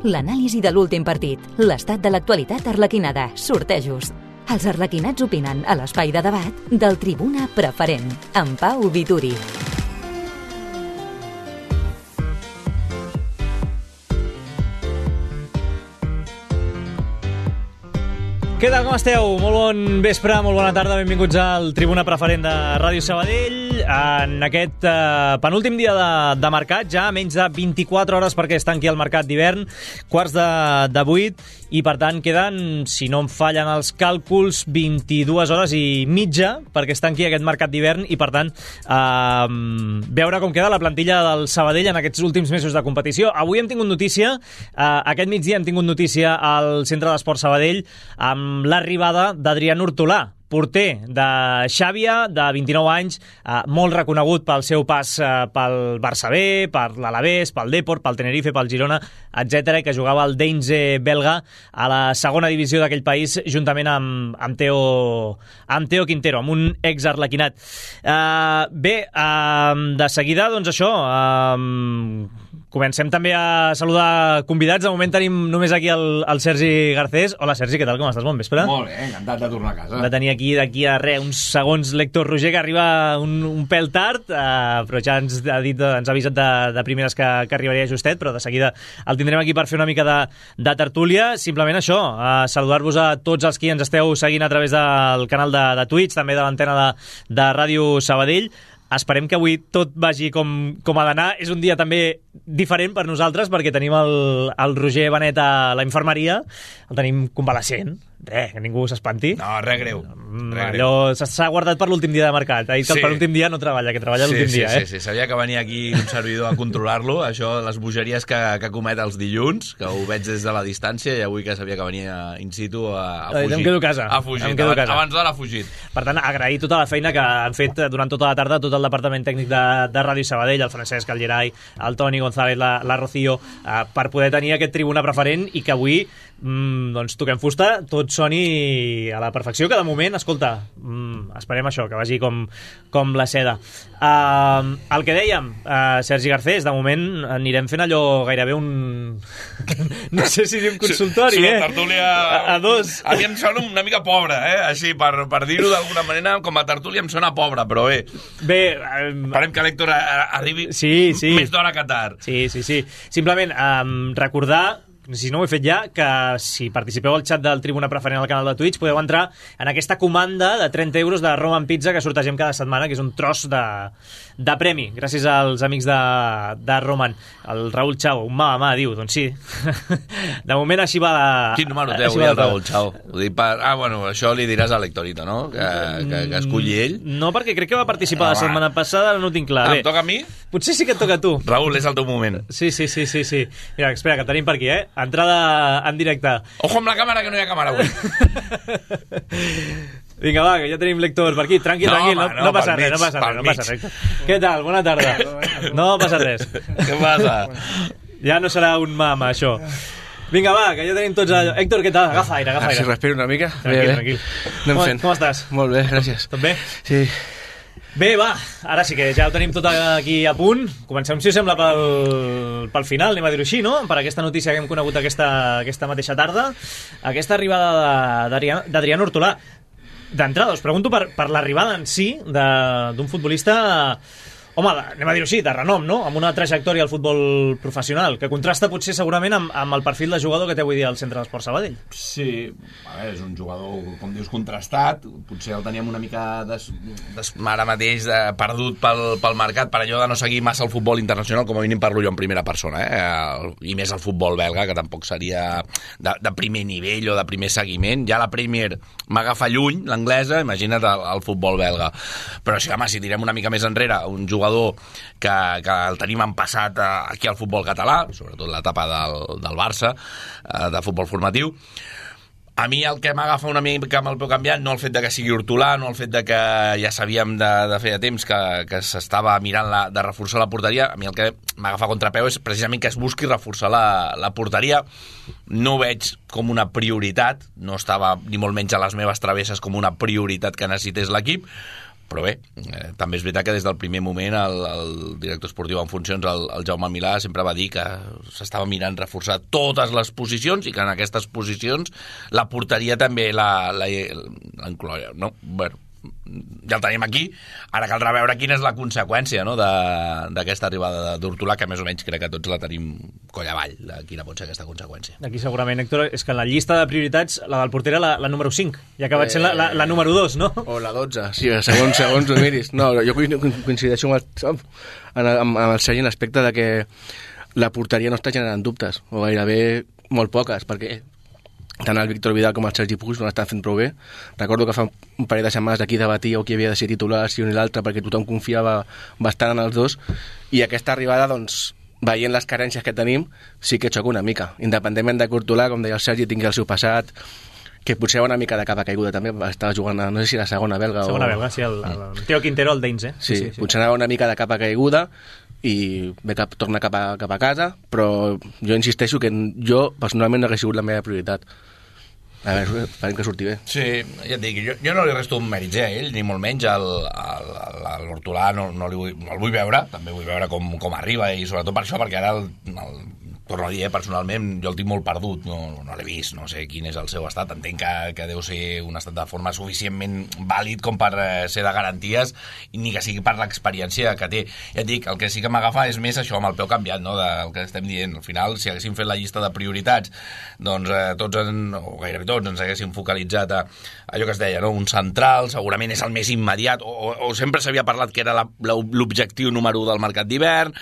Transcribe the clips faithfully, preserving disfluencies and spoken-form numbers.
l'anàlisi de l'últim partit, l'estat de l'actualitat arlequinada, sortejos. Els arlequinats opinen a l'espai de debat del Tribuna Preferent, amb Pau Vituri. Què tal, com esteu? Molt bon vespre, molt bona tarda, benvinguts al Tribuna Preferent de Ràdio Sabadell en aquest uh, penúltim dia de, de mercat, ja menys de vint-i-quatre hores perquè es tanqui el mercat d'hivern, quarts de, de vuit, i per tant queden, si no em fallen els càlculs, vint-i-dues hores i mitja perquè es tanqui aquest mercat d'hivern i per tant uh, veure com queda la plantilla del Sabadell en aquests últims mesos de competició. Avui hem tingut notícia, uh, aquest migdia hem tingut notícia al Centre d'Esports Sabadell amb l'arribada d'Adrián Hortolà, porter de Xàbia, de vint-i-nou anys, eh, molt reconegut pel seu pas eh, pel Barça B, per l'Alavés, pel Depor, pel Tenerife, pel Girona, etcètera, i que jugava al Deinze belga a la segona divisió d'aquell país juntament amb, amb, Teo, amb Teo Quintero, amb un ex-arlequinat. Eh, bé, eh, de seguida, doncs això... Eh, Comencem també a saludar convidats. De moment tenim només aquí el, el Sergi Garcés. Hola, Sergi, què tal? Com estàs? Bon vespre. Molt bé, encantat de tornar a casa. De tenir aquí d'aquí a res, uns segons l'Héctor Roger, que arriba un, un pèl tard, eh, però ja ens ha, dit, ens ha avisat de, de primeres que, que arribaria justet, però de seguida el tindrem aquí per fer una mica de, de tertúlia. Simplement això, eh, saludar-vos a tots els qui ens esteu seguint a través del canal de, de Twitch, també de l'antena de, de Ràdio Sabadell. Esperem que avui tot vagi com, com ha d'anar. És un dia també diferent per nosaltres perquè tenim el, el Roger Benet a la infermeria, el tenim convalescent. Res, que ningú s'espanti. No, res greu. Res Allò s'ha guardat per l'últim dia de mercat. Ha dit que sí. El penúltim dia no treballa, que treballa sí, l'últim sí, dia. Sí, eh? sí, sí. Sabia que venia aquí un servidor a controlar-lo, això, les bogeries que, que comet els dilluns, que ho veig des de la distància, i avui que sabia que venia in situ a, a fugir. Em quedo a casa. Ha fugit, em quedo abans, a casa. abans d'ara ha fugit. Per tant, agrair tota la feina que han fet durant tota la tarda tot el departament tècnic de, de Ràdio Sabadell, el Francesc, el Gerai, el Toni González, la, la Rocío, eh, per poder tenir aquest Tribuna Preferent i que avui mm, doncs toquem fusta, tot soni a la perfecció, que de moment, escolta, mm, esperem això, que vagi com, com la seda. Uh, el que dèiem, uh, Sergi Garcés, de moment anirem fent allò gairebé un... no sé si dir un consultori, sí, eh? Sí, tertúlia... A, a dos. A mi em sona una mica pobra, eh? Així, per, per dir-ho d'alguna manera, com a tertúlia em sona pobra, però bé. Bé... Um, Esperem que l'Héctor arribi sí, sí. més d'hora que tard. Sí, sí, sí. Simplement, um, recordar... si no ho he fet ja, que si participeu al xat del Tribuna Preferent al canal de Twitch podeu entrar en aquesta comanda de trenta euros de Roman Pizza que sortegem cada setmana, que és un tros de, de premi, gràcies als amics de, de Roman. El Raül Chao, un mà a mà, diu, doncs sí. De moment així va la... Quin número té avui el Raül Chao? Ho dic per... Ah, bueno, això li diràs a l'Hectorito, no? Que, que, que esculli ell. No, perquè crec que va participar ah, la setmana passada, no ho tinc clar. Ah, Bé, em toca a mi? Potser sí que et toca a tu. Raül, és el teu moment. Sí, sí, sí, sí, sí. Mira, espera, que tenim per aquí, eh? Entrada en directe. Ojo amb la càmera, que no hi ha càmera avui. Vinga, va, que ja tenim lector per aquí. Tranquil, no, tranquil, home, no, no, no passa mig, res, no passa res, no passa res. Què tal? Bona tarda. No passa res. Què passa? Ja no serà un mama, això. Vinga, va, que ja tenim tots allò. Héctor, què tal? Agafa aire, agafa aire. Si respiro una mica. Tranquil, bé, bé. tranquil. Anem com, fent. com estàs? Molt bé, gràcies. Tot bé? Sí. Bé, va, ara sí que ja ho tenim tot aquí a punt. Comencem, si us sembla, pel, pel final, anem a dir-ho així, no? Per aquesta notícia que hem conegut aquesta, aquesta mateixa tarda. Aquesta arribada d'Adrián Hortolà. D'entrada, us pregunto per, per l'arribada en si d'un futbolista... Home, anem a dir-ho així, de renom, no? Amb una trajectòria al futbol professional, que contrasta potser segurament amb, amb el perfil de jugador que té avui dia al Centre d'Esports Sabadell. Sí, a veure, és un jugador, com dius, contrastat. Potser el teníem una mica des, des, ara mateix de, perdut pel, pel mercat, per allò de no seguir massa el futbol internacional, com a mínim parlo jo en primera persona, eh? I més el futbol belga, que tampoc seria de, de primer nivell o de primer seguiment. Ja la Premier m'agafa lluny, l'anglesa, imagina't el, el futbol belga. Però sí, home, si tirem una mica més enrere, un jugador que, que el tenim en passat aquí al futbol català, sobretot l'etapa del, del Barça, de futbol formatiu. A mi el que m'agafa una mica amb el peu canviant, no el fet de que sigui Hortolà, no el fet de que ja sabíem de, de fer temps que, que s'estava mirant la, de reforçar la porteria, a mi el que m'agafa contrapeu és precisament que es busqui reforçar la, la porteria. No ho veig com una prioritat, no estava ni molt menys a les meves travesses com una prioritat que necessités l'equip, però bé, eh, també és veritat que des del primer moment el, el director esportiu en funcions, el, el Jaume Milà, sempre va dir que s'estava mirant reforçar totes les posicions i que en aquestes posicions la porteria també la, la, la incloia, no? Bueno, ja el tenim aquí, ara caldrà veure quina és la conseqüència, no?, d'aquesta arribada d'Hortolà, que més o menys crec que tots la tenim coll avall, de quina pot ser aquesta conseqüència. Aquí segurament, Héctor, és que en la llista de prioritats la del porter era la, la número cinc, i ha acabat sent la, la, la número dos, no? O la dotze, sí, segons, segons ho miris. No, jo coincideixo amb el, amb, amb el Sergi en l'aspecte de que la porteria no està generant dubtes, o gairebé molt poques, perquè tant el Víctor Vidal com el Sergi Puig no l'estan fent prou bé. Recordo que fa un parell de setmanes aquí debatíeu qui havia de ser titular, si un i l'altre, perquè tothom confiava bastant en els dos, i aquesta arribada, doncs, veient les carències que tenim, sí que xoca una mica. Independentment de Hortolà, com deia el Sergi, tingui el seu passat, que potser una mica de capa caiguda també, estava jugant a, no sé si la segona belga segona o... belga, sí, el, el Teo Quintero, el Deins, eh? Sí, sí, sí, potser anava una mica de capa caiguda i bé que torna cap a, cap a casa, però jo insisteixo que jo personalment no hauria sigut la meva prioritat. A veure, esperem que surti bé. Sí, ja et dic, jo, jo no li resto un mèrit a ell, ni molt menys a l'Hortolà, no, no, li vull, no el vull veure, també vull veure com, com arriba, i sobretot per això, perquè ara el, el torno a dir, eh, personalment, jo el tinc molt perdut, no, no l'he vist, no sé quin és el seu estat, entenc que, que deu ser un estat de forma suficientment vàlid com per eh, ser de garanties, i ni que sigui per l'experiència que té. Ja et dic, el que sí que m'agafa és més això, amb el peu canviat, no?, del que estem dient. Al final, si haguéssim fet la llista de prioritats, doncs eh, tots, en, o gairebé tots, ens haguéssim focalitzat a allò que es deia, no?, un central, segurament és el més immediat, o, o, o sempre s'havia parlat que era l'objectiu número u del mercat d'hivern,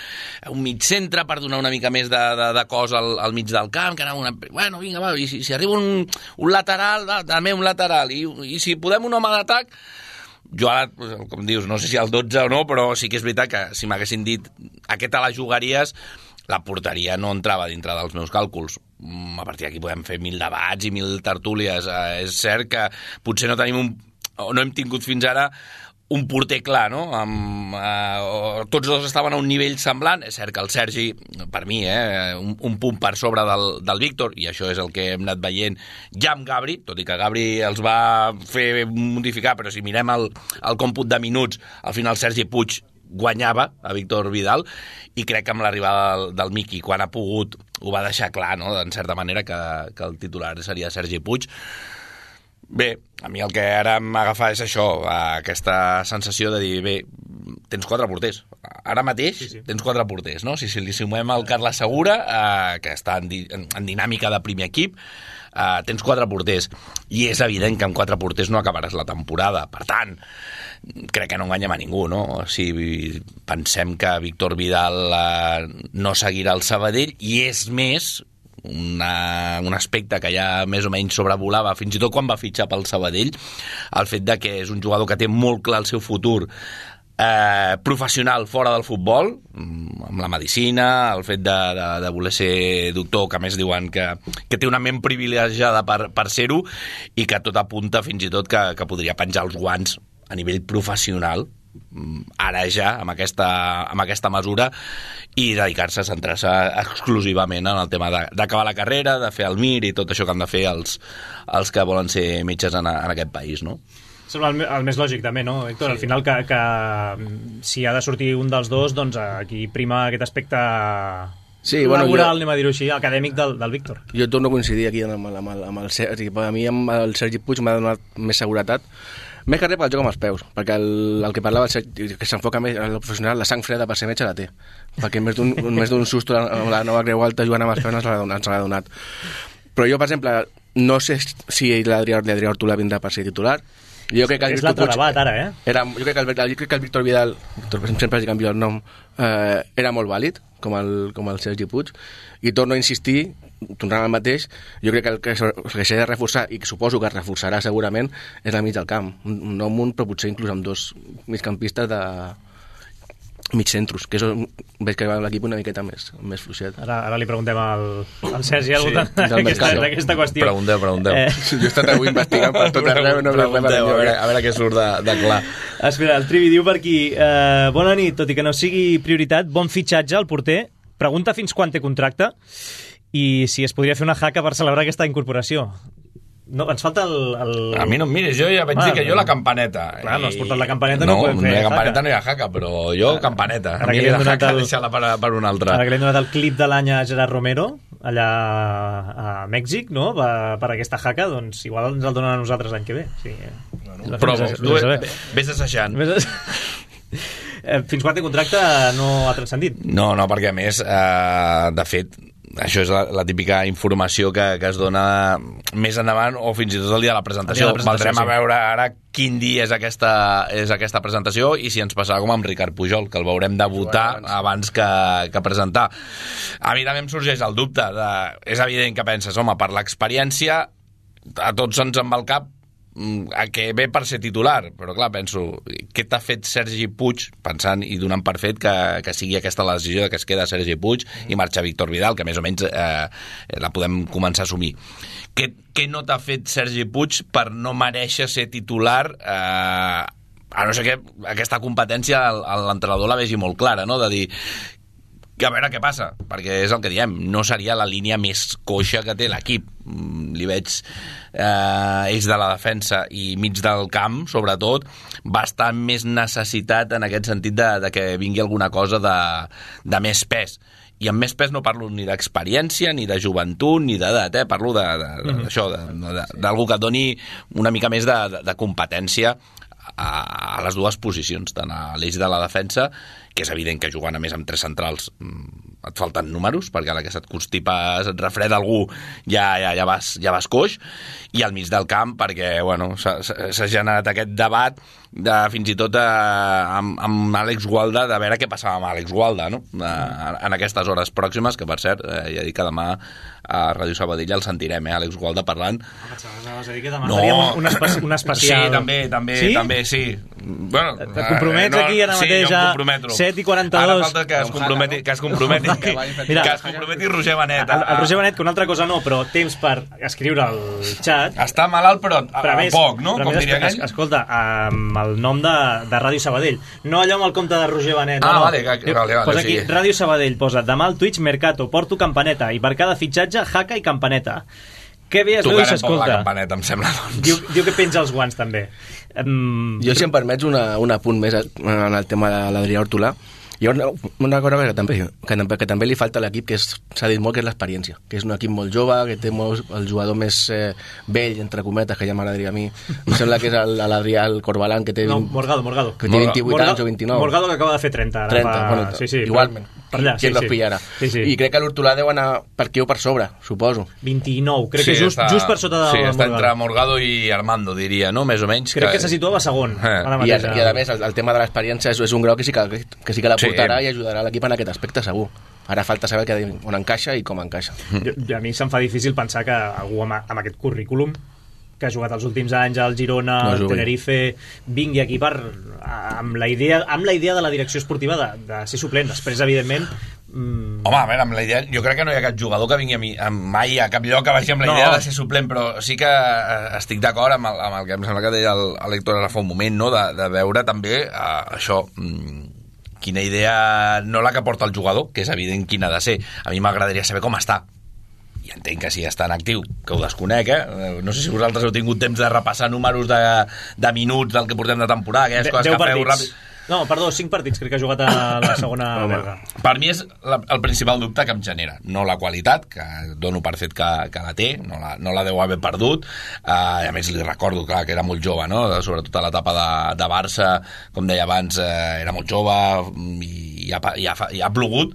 un mig centre per donar una mica més de, de de cos al, al mig del camp, que anava una... Bueno, vinga, va, i si, si arriba un, un lateral, va, també un lateral, i, i si podem un home d'atac, jo ara, com dius, no sé si al dotze o no, però sí que és veritat que si m'haguessin dit aquest a les jugaries, la porteria no entrava dintre dels meus càlculs. A partir d'aquí podem fer mil debats i mil tertúlies. Eh, és cert que potser no tenim un... o no hem tingut fins ara un porter clar, no? Amb, eh, tots dos estaven a un nivell semblant. És cert que el Sergi, per mi, eh, un, un punt per sobre del, del Víctor, i això és el que hem anat veient ja amb Gabri, tot i que Gabri els va fer modificar, però si mirem el, el còmput de minuts, al final Sergi Puig guanyava a Víctor Vidal, i crec que amb l'arribada del, del Miqui, quan ha pogut, ho va deixar clar, no?, en certa manera, que, que el titular seria Sergi Puig. Bé, a mi el que ara m'agafa és això, aquesta sensació de dir, bé, tens quatre porters. Ara mateix sí, sí. tens quatre porters, no? Si, si li sumem el Carles Segura, eh, que està en, di en, en dinàmica de primer equip, eh, tens quatre porters. I és evident que amb quatre porters no acabaràs la temporada. Per tant, crec que no enganyem a ningú, no? Si pensem que Víctor Vidal eh, no seguirà al Sabadell, i és més... Una, un aspecte que ja més o menys sobrevolava fins i tot quan va fitxar pel Sabadell, el fet de que és un jugador que té molt clar el seu futur eh, professional fora del futbol, amb la medicina, el fet de, de, de voler ser doctor, que a més diuen que, que té una ment privilegiada per, per ser-ho, i que tot apunta fins i tot que, que podria penjar els guants a nivell professional ara ja, amb aquesta, amb aquesta mesura, i dedicar-se a centrar-se exclusivament en el tema d'acabar la carrera, de fer el M I R i tot això que han de fer els, els que volen ser metges en, en aquest país, no? Sembla el, el més lògic també, no, Héctor? Sí. Al final que, que si ha de sortir un dels dos, doncs aquí prima aquest aspecte sí, bueno, laboral, jo, anem a dir-ho així, acadèmic del, del Víctor. Jo torno a coincidir aquí amb, amb, amb, el, amb el Sergi. A mi amb el Sergi Puig m'ha donat més seguretat, més que res pel joc amb els peus, perquè el, el que parlava el Sergi, que s'enfoca més en el professional, la sang freda per ser metge la té, perquè més d'un, més d'un susto amb la nova Creu Alta jugant amb els peus ens l'ha donat. Però jo, per exemple, no sé si l'Adrià Hortolà vindrà per ser titular. Jo crec que el és l'altre debat ara, eh? Era, jo, crec que el, jo crec que el Víctor Vidal, sempre es canvia el nom, eh, era molt vàlid, com el, com el Sergi Puig, i torno a insistir, tornant al mateix, jo crec que el que s'ha de reforçar, i que suposo que es reforçarà segurament, és la mig del camp. Un nou munt, però potser inclús amb dos migcampistes de mig centros, que és, veig que l'equip una miqueta més, més fluixet. Ara, ara li preguntem al, al Sergi al voltant sí, d'aquesta qüestió. Pregunteu, pregunteu. Eh... Jo he estat avui investigant per tot arreu. No pregunteu, a veure, a veure què surt de, de clar. Espera, el Trivi diu per aquí, eh, bona nit, tot i que no sigui prioritat, bon fitxatge al porter, pregunta fins quan té contracte i si es podria fer una jaca per celebrar aquesta incorporació. No, ens falta el... el... A mi no em miris, jo ja vaig ah, dir que jo la campaneta. Clar, no has portat la campaneta, no, no podem fer no hi ha campaneta, jaca. no hi ha jaca, però jo campaneta. Ara A mi que li hem la donat jaca el- deixa-la per, per un altre. Ara que li hem donat el clip de l'any a Gerard Romero, allà a Mèxic, no?, per, per aquesta jaca, doncs igual ens el donen a nosaltres l'any que ve. Sí, no, Però tu vés assajant. Fins quan té contracte no ha transcendit. No, no, perquè a més, eh, de fet, això és la, la típica informació que, que es dona més endavant o fins i tot el dia de la presentació. El dia de la presentació, Valdrem sí. a veure ara quin dia és aquesta, és aquesta presentació i si ens passarà com amb Ricard Pujol, que el veurem debutar abans que, que presentar. A mi també em sorgeix el dubte. De, és evident que penses, home, per l'experiència a tots ens en va el cap a que ve per ser titular, però clar, penso, què t'ha fet Sergi Puig, pensant i donant per fet que, que sigui aquesta la decisió que es queda Sergi Puig i marxa Víctor Vidal, que més o menys eh, la podem començar a assumir. Què, què no t'ha fet Sergi Puig per no mereixer ser titular, eh, a no ser que aquesta competència l'entrenador la vegi molt clara, no?, de dir que a veure què passa, perquè és el que diem, no seria la línia més coixa que té l'equip. Li veig eh, ells de la defensa i mig del camp, sobretot, bastant més necessitat en aquest sentit de, de que vingui alguna cosa de, de més pes. I amb més pes no parlo ni d'experiència, ni de joventut, ni d'edat, eh? Parlo d'això, d'algú que et doni una mica més de, de, de competència a, a les dues posicions, tant a l'eix de la defensa, que és evident que jugant a més amb tres centrals et falten números, perquè a la que se't constipa, se't refreda algú, ja, ja, ja, vas, ja vas coix, i al mig del camp, perquè bueno, s'ha generat aquest debat de, fins i tot eh, amb, amb Àlex Gualda, de veure què passava amb Àlex Gualda, no? Eh, en aquestes hores pròximes, que per cert, eh, ja dic que demà a Ràdio Sabadell el sentirem, eh, Àlex Gualda parlant. Vas a dir que demà no. faríem un, espe un especial. Sí, també, també, sí? també, sí. Bueno, et compromets eh, no, aquí ara mateix sí, a set i quaranta-dos. Ara falta que es comprometi, que es comprometi, que, Mira, que es comprometi Roger Benet. El, el Roger Benet, que una altra cosa no, però temps per escriure al xat. Està malalt, però, però a, més, poc, no? Com diria aquell? Es, escolta, amb el nom de, de Ràdio Sabadell. No allò amb el compte de Roger Benet. Ah, no, vale, que, vale, vale. Posa aquí, Sí. Ràdio Sabadell, posa demà al Twitch Mercato, porto campaneta, i per cada fitxatge, jaca i campaneta. Que bé es veu i s'escolta. La campaneta, em sembla, doncs. Diu, diu que penja els guants, també. Um... Jo, si em permets, una, un apunt més en el tema de l'Adrià Hortolà. Hi ha una, una cosa que també, que, que també li falta a l'equip, que s'ha dit molt, que és l'experiència, que és un equip molt jove, que té molt, el jugador més eh, vell, entre cometes, que ja m'agradaria a mi. Em sembla que és l'Adrià Corbalán, que té, no, Morgado, Morgado. que té vint-i-vuit Morgado, anys o vint-i-nou. Morgado, que acaba de fer trenta. Ara trenta, fa... bueno, sí, sí, igualment. Per allà, qui sí, los sí. pillarà. Sí, sí. I crec que l'Hortolà deu anar per aquí o per sobre, suposo. vint-i-nou, crec sí, que just, està, just per sota de sí, Morgado. està entre Morgado i Armando, diria, no? Més o menys. Crec que, que se situava segon. Eh. I, a, I a més, el, el tema de l'experiència és, és un grau que sí que, que, sí que la portarà sí. i ajudarà l'equip en aquest aspecte, segur. Ara falta saber que, on encaixa i com encaixa. Jo, a mi se'm fa difícil pensar que algú amb, amb aquest currículum que ha jugat els últims anys al Girona, no al Tenerife, vingui aquí per, amb, la idea, amb la idea de la direcció esportiva de, de ser suplent. Després, evidentment... Mm... Home, a veure, amb la idea... Jo crec que no hi ha cap jugador que vingui a mi, a mai a cap lloc que vagi amb la idea no. de ser suplent, però sí que estic d'acord amb, amb el que em sembla que deia l'Héctor ara fa un moment, no? de, de veure també uh, això... Mm, quina idea, no la que porta el jugador, que és evident quina ha de ser. A mi m'agradaria saber com està. I entenc que si està en actiu, que ho desconec, eh? No sé si vosaltres heu tingut temps de repassar números de, de minuts del que portem de temporada, aquelles de, coses que feu ràpid. No, perdó, cinc partits crec que ha jugat a la segona belga. Per mi és la, el principal dubte que em genera. No la qualitat, que dono per fet que, que la té, no la, no la deu haver perdut. Uh, a més, li recordo, clar, que era molt jove, no? Sobretot a l'etapa de, de Barça, com deia abans, uh, era molt jove i, i, ha, i, ha, i ha plogut,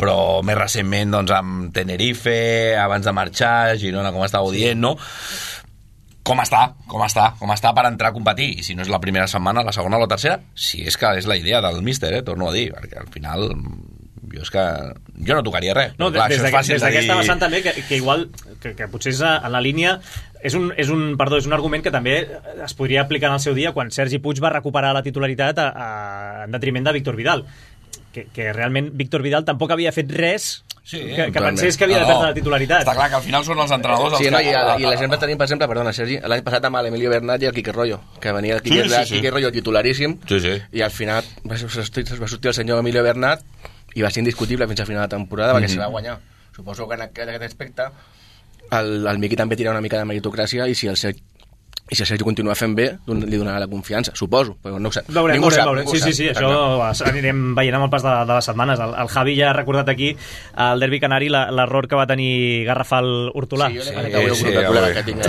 però més recentment doncs, amb Tenerife, abans de marxar, Girona, com estàveu dient, no? Com està, com està, com està per entrar a competir, i si no és la primera setmana, la segona o la tercera, si és que és la idea del míster, eh, torno a dir, perquè al final jo és que jo no tocaria res. No, clar, des d'aquesta de dir... vessant també, que, que igual, que, que potser és en la línia, és un, és un, perdó, és un argument que també es podria aplicar en el seu dia quan Sergi Puig va recuperar la titularitat a, a, en detriment de Víctor Vidal, que, que realment Víctor Vidal tampoc havia fet res sí, que, que pensés que havia de perdre no, la titularitat. Està clar que al final són els entrenadors sí, els no, que... I, a, i l'exemple tenim, per exemple, perdona, Sergi, l'any passat amb l'Emilio Bernat i el Quique Rollo, que venia el Quique, sí, sí, sí. Quique Rollo titularíssim, sí, sí. i al final va, va sortir el senyor Emilio Bernat i va ser indiscutible fins al final de la temporada, mm-hmm. perquè se va guanyar. Suposo que en aquest aspecte el, el Miqui també tira una mica de meritocràcia i si el Sergi i si el Sergi continua fent bé, li donarà la confiança, suposo, però no ho sé. Veurem, ningú veurem, sap, veurem. Sí, sí, sí, això clar. Anirem veient amb el pas de, de les setmanes. El, el Javi ja ha recordat aquí al derbi canari l'error que va tenir Garrafal Hortolà. Sí, jo sí, sí, sí, sí, que tinc.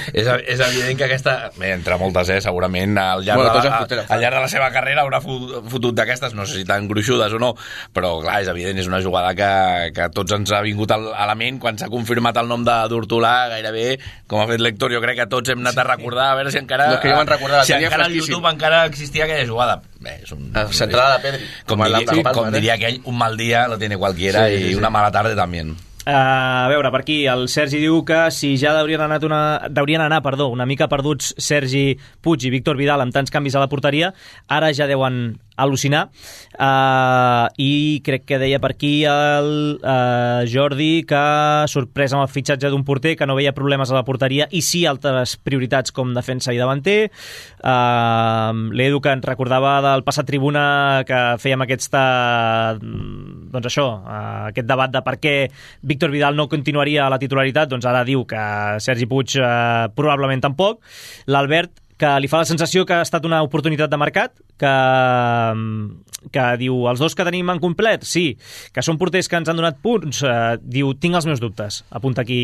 és, és evident que aquesta, bé, entre moltes, eh, segurament al llarg, bueno, de, la, al llarg de la seva carrera haurà fotut d'aquestes, no sé si tan gruixudes o no, però clar, és evident, és una jugada que, que tots ens ha vingut a la ment quan s'ha confirmat el nom d'Hortolà, gairebé, com ha fet l'Héctor, jo crec que tots hem anat a recordar, a veure si encara, no, que recordar, si encara al YouTube encara existia aquella jugada. Bé, és un, centrada de Pedri. Com, com, diria, com, com diria aquell, un mal dia lo tiene cualquiera sí, sí, sí. I una mala tarde també. Uh, a veure, per aquí el Sergi diu que si ja haurien anat una, haurien anar perdó, una mica perduts Sergi Puig i Víctor Vidal amb tants canvis a la porteria, ara ja deuen al·lucinar. Uh, I crec que deia per aquí el uh, Jordi que sorpresa amb el fitxatge d'un porter, que no veia problemes a la porteria i sí altres prioritats com defensa i davanter. Uh, L'Edu que ens recordava del passat tribuna que fèiem aquesta, doncs això, uh, aquest debat de per què Víctor Vidal no continuaria a la titularitat, doncs ara diu que Sergi Puig uh, probablement tampoc. L'Albert que li fa la sensació que ha estat una oportunitat de mercat, que, que diu, els dos que tenim en complet, sí, que són porters que ens han donat punts, eh, diu, tinc els meus dubtes, apunta aquí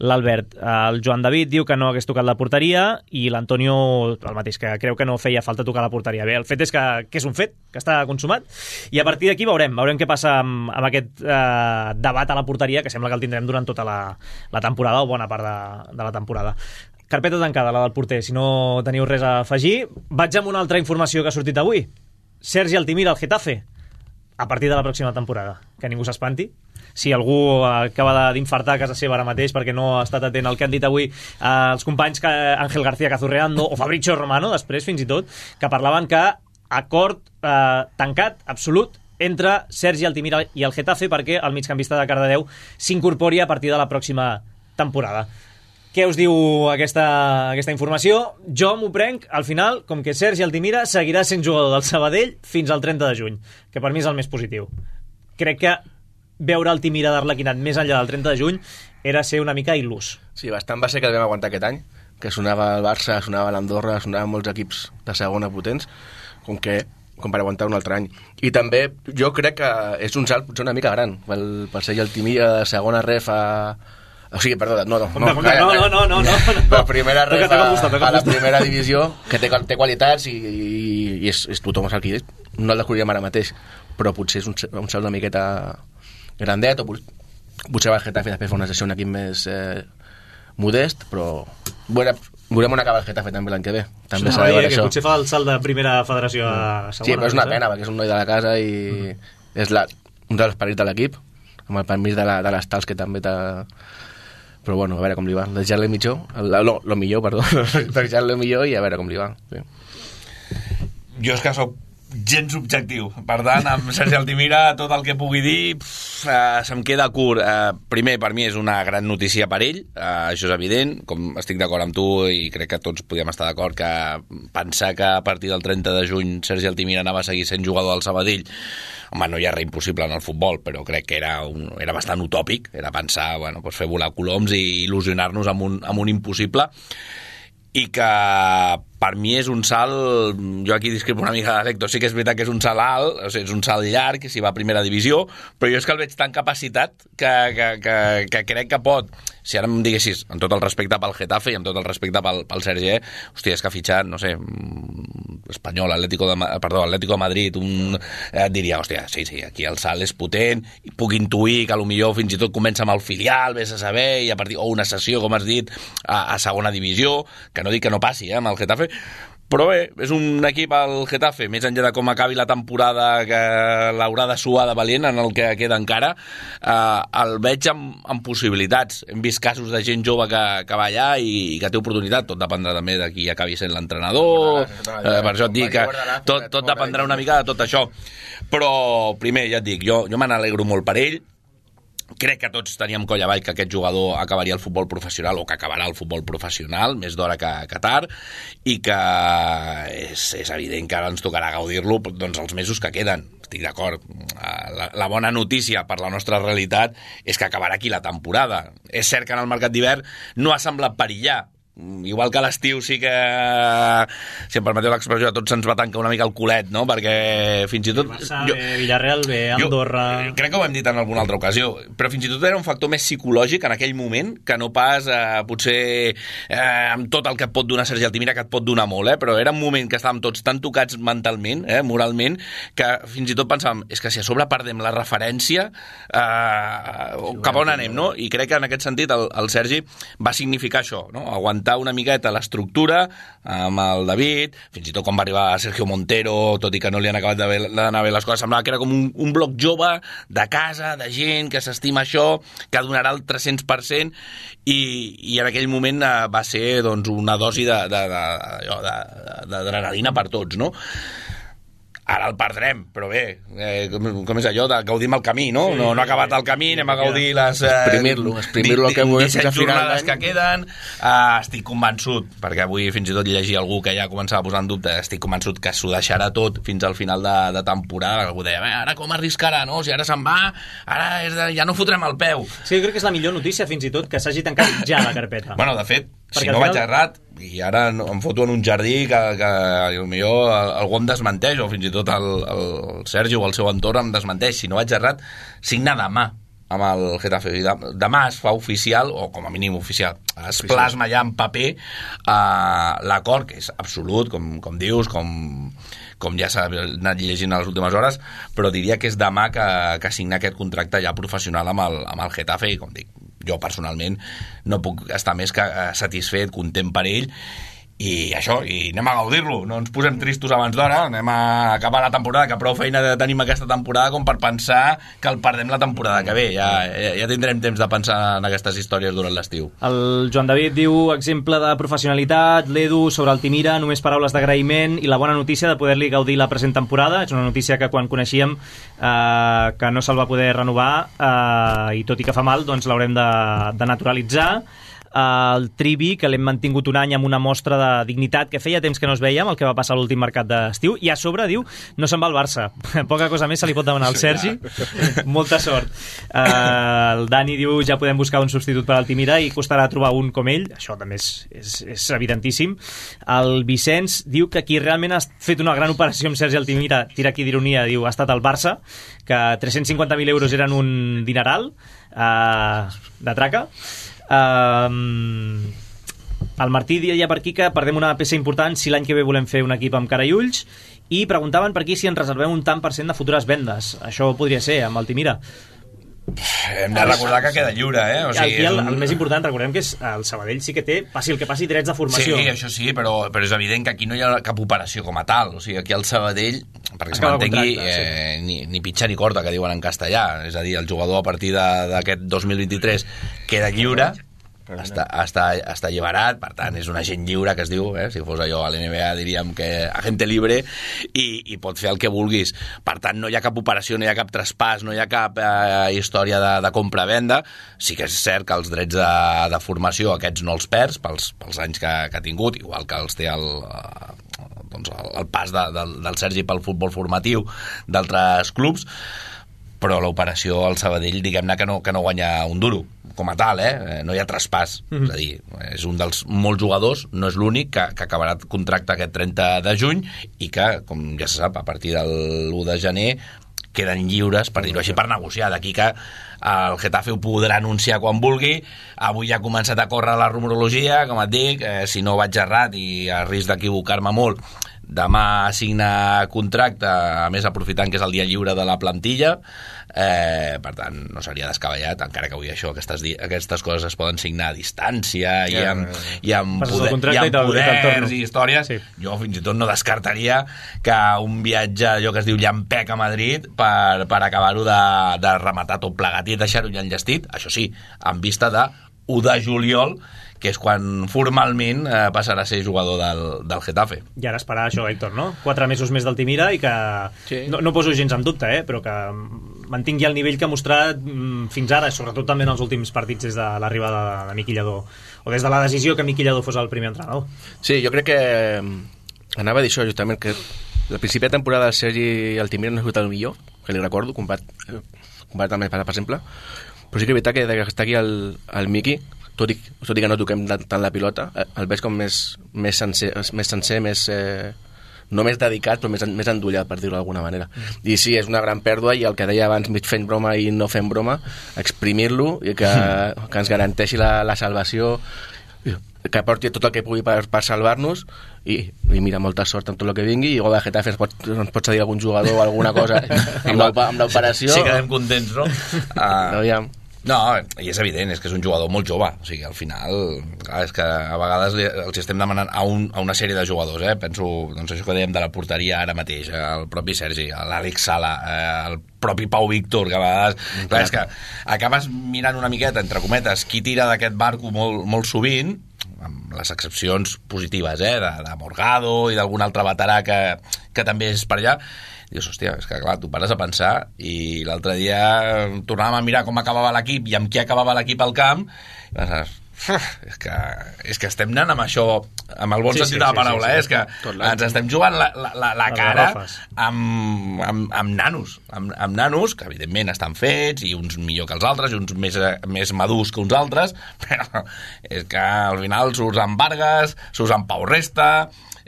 l'Albert. El Joan David diu que no hagués tocat la porteria i l'Antonio el mateix, que creu que no feia falta tocar la porteria. Bé, el fet és que, que és un fet, que està consumat, i a partir d'aquí veurem, veurem què passa amb, amb aquest eh, debat a la porteria, que sembla que el tindrem durant tota la, la temporada, o bona part de, de la temporada. Carpeta tancada, la del porter, si no teniu res a afegir. Vaig amb una altra informació que ha sortit avui. Sergi Altimira, al Getafe, a partir de la pròxima temporada. Que ningú s'espanti. Si algú acaba d'infartar a casa seva ara mateix perquè no ha estat atent al que han dit avui eh, els companys que Ángel García Cazurreando o Fabrizio Romano, després fins i tot, que parlaven que acord eh, tancat, absolut, entre Sergi Altimira i el Getafe perquè el migcampista de Cardedeu s'incorpori a partir de la pròxima temporada. Què us diu aquesta, aquesta informació? Jo m'ho prenc, al final, com que Sergi Altimira seguirà sent jugador del Sabadell fins al trenta de juny, que per mi és el més positiu. Crec que veure Altimira d'Arlequinat més enllà del trenta de juny era ser una mica il·lús. Sí, bastant va ser que el vam aguantar aquest any, que sonava el Barça, sonava l'Andorra, sonaven molts equips de segona potents, com que com per aguantar un altre any. I també jo crec que és un salt potser una mica gran, per, per Sergi Altimira de segona ref a... O sigui, perdó, no, no, no, no, no, no, no, no. La primera ref a, a la primera divisió, que té, té qualitats i, i, i és, és tothom el que no el descobriríem ara mateix, però potser és un, un salt una miqueta grandet, o potser va el Getafe després fa una sessió un equip més eh, modest, però veurem, veurem on acaba el Getafe també l'any que ve. També s'ha de veure això. Potser fa el salt de primera federació a segona. Sí, però és una pena, perquè és un noi de la casa i mm. és la, un dels perits de l'equip, amb el permís de, la, de les tals que també t'ha... Però bueno, a veure com li va. Deixar-li millor, no, lo millor, perdó, deixar-li millor i a veure com li va. Sí. Jo és que soc gens objectiu, per tant, amb Sergi Altimira tot el que pugui dir pff, uh, se'm queda curt. Uh, primer, per mi és una gran notícia per ell, uh, això és evident, com estic d'acord amb tu i crec que tots podíem estar d'acord que pensar que a partir del trenta de juny Sergi Altimira anava a seguir sent jugador del Sabadell, home, no hi ha res impossible en el futbol, però crec que era, un, era bastant utòpic, era pensar, bueno, pues fer volar coloms i il·lusionar-nos amb un, amb un impossible, i que per mi és un salt, jo aquí discrepo una mica de l'Hèctor, sí que és veritat que és un salt alt, o sigui, és un salt llarg, si va a primera divisió, però jo és que el veig tan capacitat que, que, que, que crec que pot, si ara em diguessis, amb tot el respecte pel Getafe i amb tot el respecte pel, pel Sergi, eh? Hòstia, és que ha fitxat, no sé, Espanyol, Atlético de, perdó, Atlético de Madrid, un, eh, diria, hòstia, sí, sí, aquí el salt és potent, i puc intuir que potser fins i tot comença amb el filial, vés a saber, i a partir, o una sessió, com has dit, a, a segona divisió, que no dic que no passi, eh, amb el Getafe, però bé, és un equip al Getafe, més enllà de com acabi la temporada que l'haurà de suar de valent en el que queda encara, eh, el veig amb, amb possibilitats. Hem vist casos de gent jove que, que va allà i, i que té oportunitat, tot dependrà també de qui acabi sent l'entrenador, eh, per això et dic que tot, tot dependrà una mica de tot això. Però primer, ja et dic, jo, jo me n'alegro molt per ell. Crec que tots teníem coll avall que aquest jugador acabaria el futbol professional o que acabarà el futbol professional, més d'hora que, que tard, i que és, és evident que ara ens tocarà gaudir-lo doncs, els mesos que queden. estic d'acord. La, la bona notícia per la nostra realitat és que acabarà aquí la temporada. És cert que en el mercat d'hivern no ha semblat perillar. Igual que a l'estiu sí que, si em permeteu l'expressió, a tots se'ns va tancar una mica el culet, no? Perquè fins i tot... Barça, jo, bé, Villarreal, bé, Andorra... Jo, crec que ho hem dit en alguna altra ocasió, però fins i tot era un factor més psicològic en aquell moment que no pas, eh, potser, eh, amb tot el que et pot donar Sergi Altimira, que et pot donar molt, eh? Però era un moment que estàvem tots tan tocats mentalment, eh, moralment, que fins i tot pensàvem, és que si a sobre perdem la referència, eh, cap a on anem, no? I crec que en aquest sentit el, el Sergi va significar això, no? Aguantar una miqueta l'estructura amb el David, fins i tot quan va arribar Sergio Montero, tot i que no li han acabat d'anar bé les coses, semblava que era com un, un bloc jove de casa, de gent que s'estima això, que donarà el tres-cents per cent, i, i en aquell moment eh, va ser doncs, una dosi d'adrenalina per tots, no? Ara el perdrem, però bé, eh, com, com és allò de gaudim el camí, no? Sí, no, no ha acabat el camí, anem a gaudir les... Eh, exprimir-lo, exprimir-lo que volem fins a final d'any. Que queden. Uh, estic convençut, perquè avui fins i tot llegia algú que ja començava a posar en dubte, estic convençut que s'ho deixarà tot fins al final de, de temporada. Algú deia, ara com arriscarà, no? Si ara se'n va, ara és de, ja no fotrem el peu. Sí, jo crec que és la millor notícia, fins i tot, que s'hagi tancat ja la carpeta. Bueno, de fet, perquè si no final... vaig errat, i ara em foto en un jardí que, que potser algú em desmenteix, o fins i tot el, el Sergi o el seu entorn em desmenteix. Si no vaig errat, signa demà amb el Getafe. Demà es fa oficial, o com a mínim oficial, es plasma ja en paper uh, l'acord, que és absolut, com, com dius, com, com ja s'ha anat llegint a les últimes hores, però diria que és demà que, que signa aquest contracte ja professional amb el, amb el Getafe, i com dic, jo personalment no puc estar més que satisfet, content per ell, i això, i anem a gaudir-lo, no ens posem tristos abans d'hora, anem a acabar la temporada, que prou feina tenim aquesta temporada com per pensar que el perdem la temporada que ve. Ja, ja, ja tindrem temps de pensar en aquestes històries durant l'estiu. El Joan David diu, exemple de professionalitat, l'Edu sobre Altimira, només paraules d'agraïment i la bona notícia de poder-li gaudir la present temporada. És una notícia que quan coneixíem eh, que no se'l va poder renovar eh, i tot i que fa mal, doncs l'haurem de, de naturalitzar. El Trivi, que l'hem mantingut un any amb una mostra de dignitat que feia temps que no es veiem, el que va passar a l'últim mercat d'estiu, i a sobre diu, no se'n va al Barça. Poca cosa més se li pot demanar al Sergi. Molta sort. Uh, el Dani diu, ja podem buscar un substitut per Altimira i costarà trobar un com ell. Això també és, és, és evidentíssim. El Vicenç diu que qui realment ha fet una gran operació amb Sergi Altimira, tira aquí d'ironia, diu, ha estat el Barça, que tres-cents cinquanta mil euros eren un dineral uh, de traca. Um, el Martí deia per aquí que perdem una peça important si l'any que ve volem fer un equip amb cara i ulls, i preguntaven per aquí si ens reservem un tant per cent de futures vendes. Això podria ser amb Altimira. Hem de recordar que queda lliure, eh? O sigui, Aquí el, un... el més important, recordem que és el Sabadell sí que té, passi el que passi, drets de formació. Sí, això sí, però, però és evident que aquí no hi ha cap operació com a tal. O sigui, aquí el Sabadell, perquè se m'entengui, eh, sí. ni, ni pitxa ni corta, que diuen en castellà. És a dir, el jugador a partir d'aquest dos mil vint-i-tres queda lliure, està, està, està alliberat, per tant és un agent lliure que es diu, eh? Si fos allò a l'N B A diríem que agente libre, i, i pot fer el que vulguis. Per tant no hi ha cap operació, no hi ha cap traspàs, no hi ha cap eh, història de, de compra-venda. Sí que és cert que els drets de, de formació aquests no els perds pels, pels anys que, que ha tingut, igual que els té el, doncs el, el pas de, del, del Sergi pel futbol formatiu d'altres clubs, però l'operació al Sabadell, diguem-ne que no, que no guanya un duro com a tal, eh? No hi ha traspàs. Mm-hmm. És a dir, és un dels molts jugadors, no és l'únic, que, que acabarà el contracte aquest trenta de juny i que, com ja se sap, a partir del u de gener queden lliures, per dir-ho així, per negociar. D'aquí que el Getafe ho podrà anunciar quan vulgui. Avui ja ha començat a córrer la rumorologia, com et dic, eh, si no vaig errat i a risc d'equivocar-me molt, demà signa contracte, a més aprofitant que és el dia lliure de la plantilla, eh, per tant no seria descabellat, encara que avui això, aquestes, aquestes coses es poden signar a distància, yeah, i amb, yeah. i amb, poder, i amb poders i històries. Sí. Jo fins i tot no descartaria que un viatge, allò que es diu llampec a Madrid, per, per acabar-ho de, de rematar tot plegat i deixar-ho ja enllestit, això sí, en vista de u de juliol, que és quan formalment eh, passarà a ser jugador del, del Getafe. I ara esperar això, Héctor, no? Quatre mesos més d'Altimira i que sí. no, no poso gens en dubte, eh? Però que mantingui el nivell que ha mostrat mm, fins ara, sobretot també en els últims partits des de l'arribada de, de Miqui Lladó, o des de la decisió que Miqui Lladó fos el primer entrenador. Sí, jo crec que anava a dir això justament, que al principi de temporada el Sergi Altimira no ha sigut el millor, que li recordo, comparat, comparat amb el per exemple, però sí que és veritat que des que està aquí el, el Miqui, tot i, tot i que no toquem tant la pilota, el veig com més, més sencer, més, sencer, més eh, no més dedicat, però més, més endollat, per dir-ho d'alguna manera. Mm. I sí, és una gran pèrdua, i el que deia abans, mig fent broma i no fent broma, exprimir-lo i que, mm. que ens garanteixi la, la salvació, que porti tot el que pugui per, per salvar-nos, i, i mira, molta sort amb tot el que vingui, i igual de Getafe ens pot, ens pot cedir algun jugador o alguna cosa amb l'operació. Sí, quedem contents, no? Uh, Aviam. No, i és evident, és que és un jugador molt jove, o sigui, al final, clar, és que a vegades li, els estem demanant a, un, a una sèrie de jugadors, eh? Penso, doncs això que dèiem de la porteria ara mateix, el propi Sergi, l'Àlex Sala, eh, el propi Pau Víctor, que a vegades, mm, clar, és que acabes mirant una miqueta, entre cometes, qui tira d'aquest barco molt, molt sovint, amb les excepcions positives, eh, de, de Morgado i d'algun altre veterà que, que també és per allà. Dius, hòstia, és que clar, tu pares a pensar, i l'altre dia tornàvem a mirar com acabava l'equip i amb qui acabava l'equip al camp, i penses, és que, és que estem anant amb això, amb el bon sí, sentit sí, de la paraula, sí, sí, sí. Eh? És que ens estem jugant la, la, la, la cara amb, amb, amb nanos, amb, amb nanos que evidentment estan fets, i uns millor que els altres, i uns més, més madurs que uns altres, però és que al final surts amb Vargas, surts amb Pau Resta,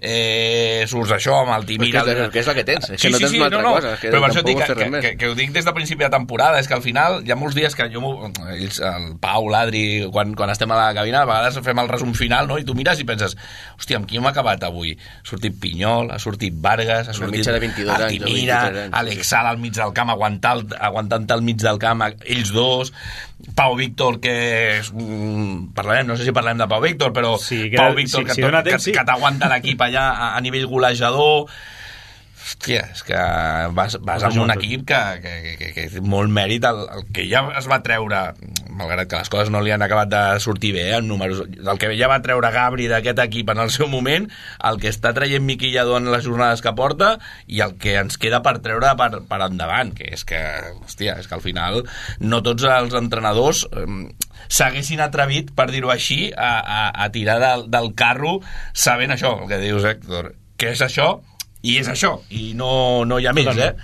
eh, surts això amb el Timira, que, és, que és la que tens, és sí, que no sí, tens sí, una altra no, no. cosa, que però per això dic que, que, que, que ho dic des del principi de temporada, és que al final hi ha molts dies que jo, ells, el Pau, l'Adri, quan, quan estem a la cabina, a vegades fem el resum final, no? I tu mires i penses, hòstia, amb qui hem acabat avui? Ha sortit Pinyol, ha sortit Vargas, ha sortit el Timira, Àlex Sala al mig del camp, aguantant, aguantant al mig del camp ells dos, Pau Víctor, que és, mm, parlarem, no sé si parlem de Pau Víctor, però sí, que, Pau Víctor, sí, que, sí, tot, temps, que, sí. que t'aguanta l'equip allà a, a nivell golejador. Hòstia, és que vas, vas amb un equip que, que, que, que té molt mèrit, el, el que ja es va treure, malgrat que les coses no li han acabat de sortir bé, eh, en números, el que ja va treure Gabri d'aquest equip en el seu moment, el que està traient Miqui Lladó en les jornades que porta, i el que ens queda per treure per, per endavant, que és que, hòstia, és que al final no tots els entrenadors eh, s'haguessin atrevit, per dir-ho així, a, a, a tirar del, del carro sabent això, el que dius, Héctor, que és això, i és això, i no, no hi ha més, eh?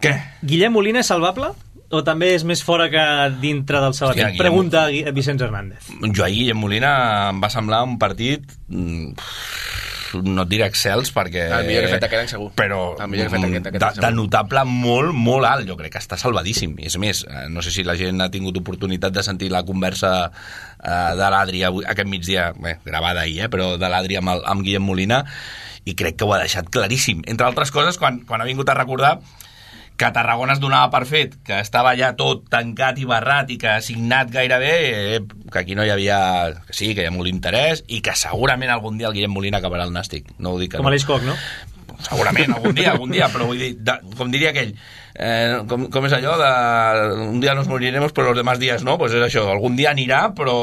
Què? Guillem Molina és salvable? O també és més fora que dintre del Sabadell? Hòstia, pregunta a Vicenç Hernández. Jo ahir, Guillem Molina, em va semblar un partit, no et diré excels, perquè... El millor que ha fet aquest any, segur. Però el millor que ha fet aquest, aquest de, any, segur. de notable molt, molt alt. Jo crec que està salvadíssim. És més, no sé si la gent ha tingut oportunitat de sentir la conversa Uh, de l'Adri aquest migdia, bé, gravada ahir, eh, però de l'Adri amb, el, amb Guillem Molina, i crec que ho ha deixat claríssim. Entre altres coses, quan, quan ha vingut a recordar que a Tarragona es donava per fet, que estava ja tot tancat i barrat i que signat gairebé, eh, que aquí no hi havia, que sí, que hi ha molt interès, i que segurament algun dia el Guillem Molina acabarà al Nàstic. No ho dic que Com no. a l'Eix Coc, no? Segurament, algun dia, algun dia, però vull dir, de, com diria aquell, eh, com, com és allò de un dia nos moriremos però los demás días no, pues és això, algun dia anirà però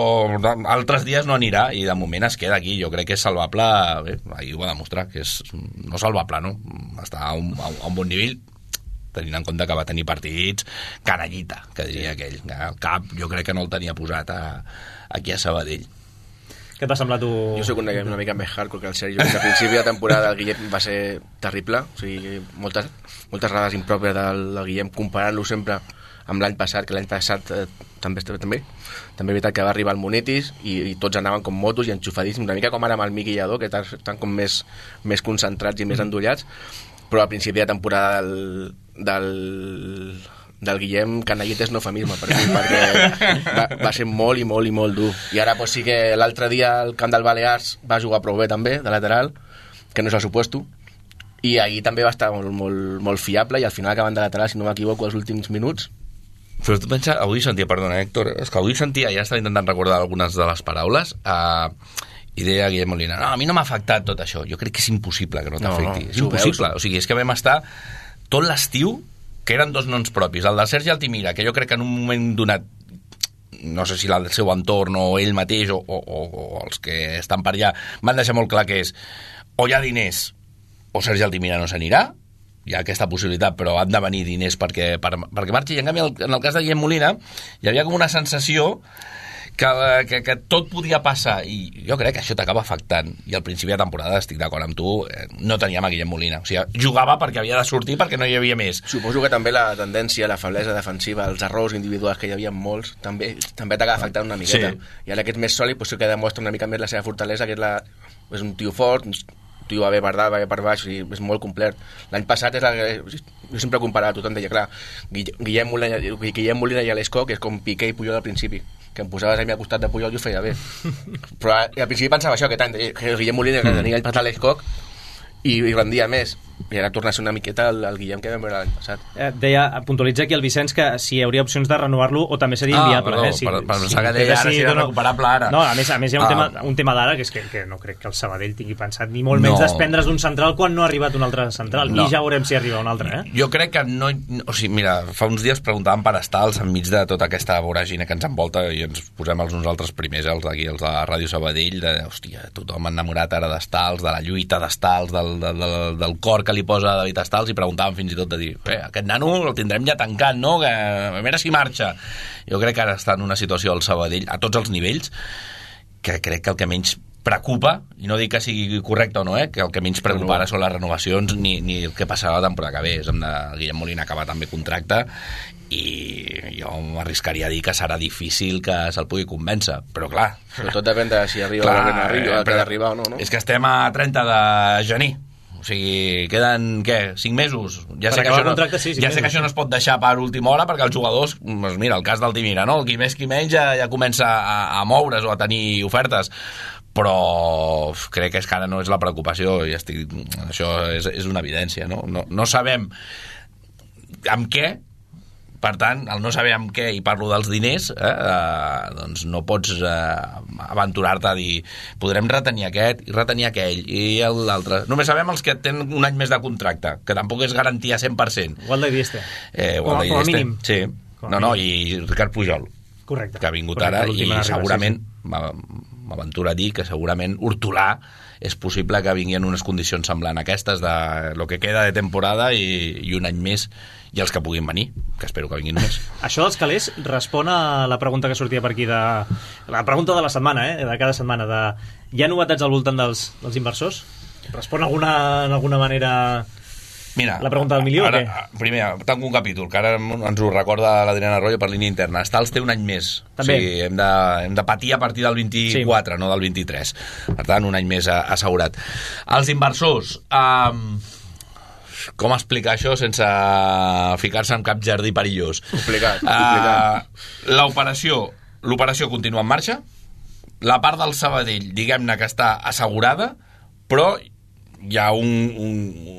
altres dies no anirà, i de moment es queda aquí. Jo crec que és salvable, bé, ahir ho va demostrar, que és no salvable, no? Està a un, a un bon nivell, tenint en compte que va tenir partits canallita, que diria aquell. El cap jo crec que no el tenia posat a, aquí a Sabadell. Què t'ha semblat tu? Jo soc una, una mica més hardcore que el Sergi, que a principi de temporada el Guillem va ser terrible, o sigui, moltes, moltes errades impròpies del, del Guillem, comparant-lo sempre amb l'any passat, que l'any passat eh, també, també també és veritat que va arribar el Monetis i, i tots anaven com motos i enxufadíssims, una mica com ara amb el Miqui Lladó, que estan com més, més concentrats i més endollats, però al principi de temporada del, del del Guillem, canallit és no eufemisme per mi, perquè va, va ser molt i molt i molt dur. I ara pues, sí que l'altre dia el camp del Balears va jugar prou bé també, de lateral, que no és el supuesto, i ahir també va estar molt, molt, molt fiable, i al final acabant de lateral, si no m'equivoco, els últims minuts. Però tu pensa, avui sentia, perdona Héctor, és que avui sentia, ja estava intentant recordar algunes de les paraules, uh, i deia Guillem Molina, no, a mi no m'ha afectat tot això. Jo crec que és impossible que no t'afecti. No, no, és impossible, veus. O sigui, és que vam estar tot l'estiu, que eren dos noms propis, el del Sergi Altimira, que jo crec que en un moment donat, no sé si el seu entorn o ell mateix o, o, o els que estan per allà, van deixar molt clar que és o hi ha diners o Sergi Altimira no s'anirà, hi ha aquesta possibilitat, però han de venir diners perquè, per, perquè marxi. I en canvi, en el cas de Guillem Molina, hi havia com una sensació que, que, que tot podia passar, i jo crec que això t'acaba afectant, i al principi de temporada, estic d'acord amb tu, no teníem a Guillem Molina, o sigui, jugava perquè havia de sortir, perquè no hi havia més. Suposo que també la tendència, la feblesa defensiva, els errors individuals que hi havia molts, també també t'acaba afectant una miqueta, sí. I ara que ets més sòlid, pues sí que demostra una mica més la seva fortalesa, que és, la, és un tio fort, tio va bé per dalt, va bé per baix, i és molt complet. L'any passat és la, jo sempre comparava, tothom deia, clar, Guillem Molina, Guillem Molina i l'Esco, que és com Piqué i Puyol al principi, que em posaves a mi al costat de Puyol i ho feia bé. Però al principi pensava això, que tant, que Guillem Molina que tenia el passat l'Esco i, i rendia més. I ara torna a ser una miqueta el, el Guillem que vam veure l'any passat. Eh, deia, puntualitza aquí el Vicenç que si hi hauria opcions de renovar-lo o també seria inviable. Ah, perdó, eh? si, per, per si, pensar que deia ara si era no, recuperable ara. No, a més, a més hi ha un ah. tema, un tema d'ara que és que, que no crec que el Sabadell tingui pensat ni molt menys no. desprendre's d'un central quan no ha arribat un altre central, no. I ja veurem si arriba un altre. Eh? Jo crec que no... O sigui, mira, fa uns dies preguntàvem per estals enmig de tota aquesta voràgina que ens envolta i ens posem els nosaltres primers, els d'aquí, els de Ràdio Sabadell, de, hòstia, tothom enamorat ara d'estals, de la lluita d'estals, del, del, del, del cor que li posa David Estals, i preguntàvem fins i tot de dir, eh, aquest nano el tindrem ja tancat, no? Que, a veure si marxa. Jo crec que ara està en una situació al Sabadell, a tots els nivells, que crec que el que menys preocupa, i no dic que sigui correcte o no, eh, que el que menys preocupa ara són les renovacions ni, ni el que passarà la temporada que ve. És amb de Guillem Molina acabar també contracte i jo m'arriscaria a dir que serà difícil que se'l pugui convèncer, però clar... Però tot depèn de si arriba clar, o no arriba, que d'arribar o no, no? És que estem a trenta de gener. O sigui, queden, què, cinc mesos? Ja sé, que això, no, sí, ja sé que això no es pot deixar per última hora perquè els jugadors, doncs mira, el cas del Timira, no? El qui més qui menys ja, ja comença a, a moure's o a tenir ofertes, però crec que és que ara no és la preocupació i estic, això és, és una evidència, no? No, no sabem amb què. Per tant, al no saber amb què, i parlo dels diners, eh, eh, doncs no pots eh, aventurar-te a dir podrem retenir aquest i retenir aquell i l'altre. Només sabem els que tenen un any més de contracte, que tampoc és garantia cent per cent. Walde Dieste. Eh, Walde com, com a mínim. Sí. Com no, no, i Ricard Pujol. Correcte. Que ha vingut Correcte, ara i arriba, segurament, sí, sí. m'aventura a dir que segurament Hortolà és possible que vingui en unes condicions semblants a aquestes de lo que queda de temporada i, i un any més, i els que puguin venir, que espero que vinguin més. Això dels calés respon a la pregunta que sortia per aquí, de la pregunta de la setmana, eh? De cada setmana, de hi ha novetats al voltant dels, dels inversors? Respon alguna, en alguna manera... Mira, la pregunta del milió ara, o què? Primer, tanco un capítol, que ara ens ho recorda l'Adriana Arroyo per línia interna. Estals té un any més. També. O sigui, hem de, hem de patir a partir del vint-i-quatre, sí. No del vint-i-tres. Per tant, un any més assegurat. Els inversors... Um, com explicar això sense ficar-se en cap jardí perillós? Complicat, complicat. Uh, l'operació, l'operació continua en marxa. La part del Sabadell, diguem-ne que està assegurada, però hi ha un, un,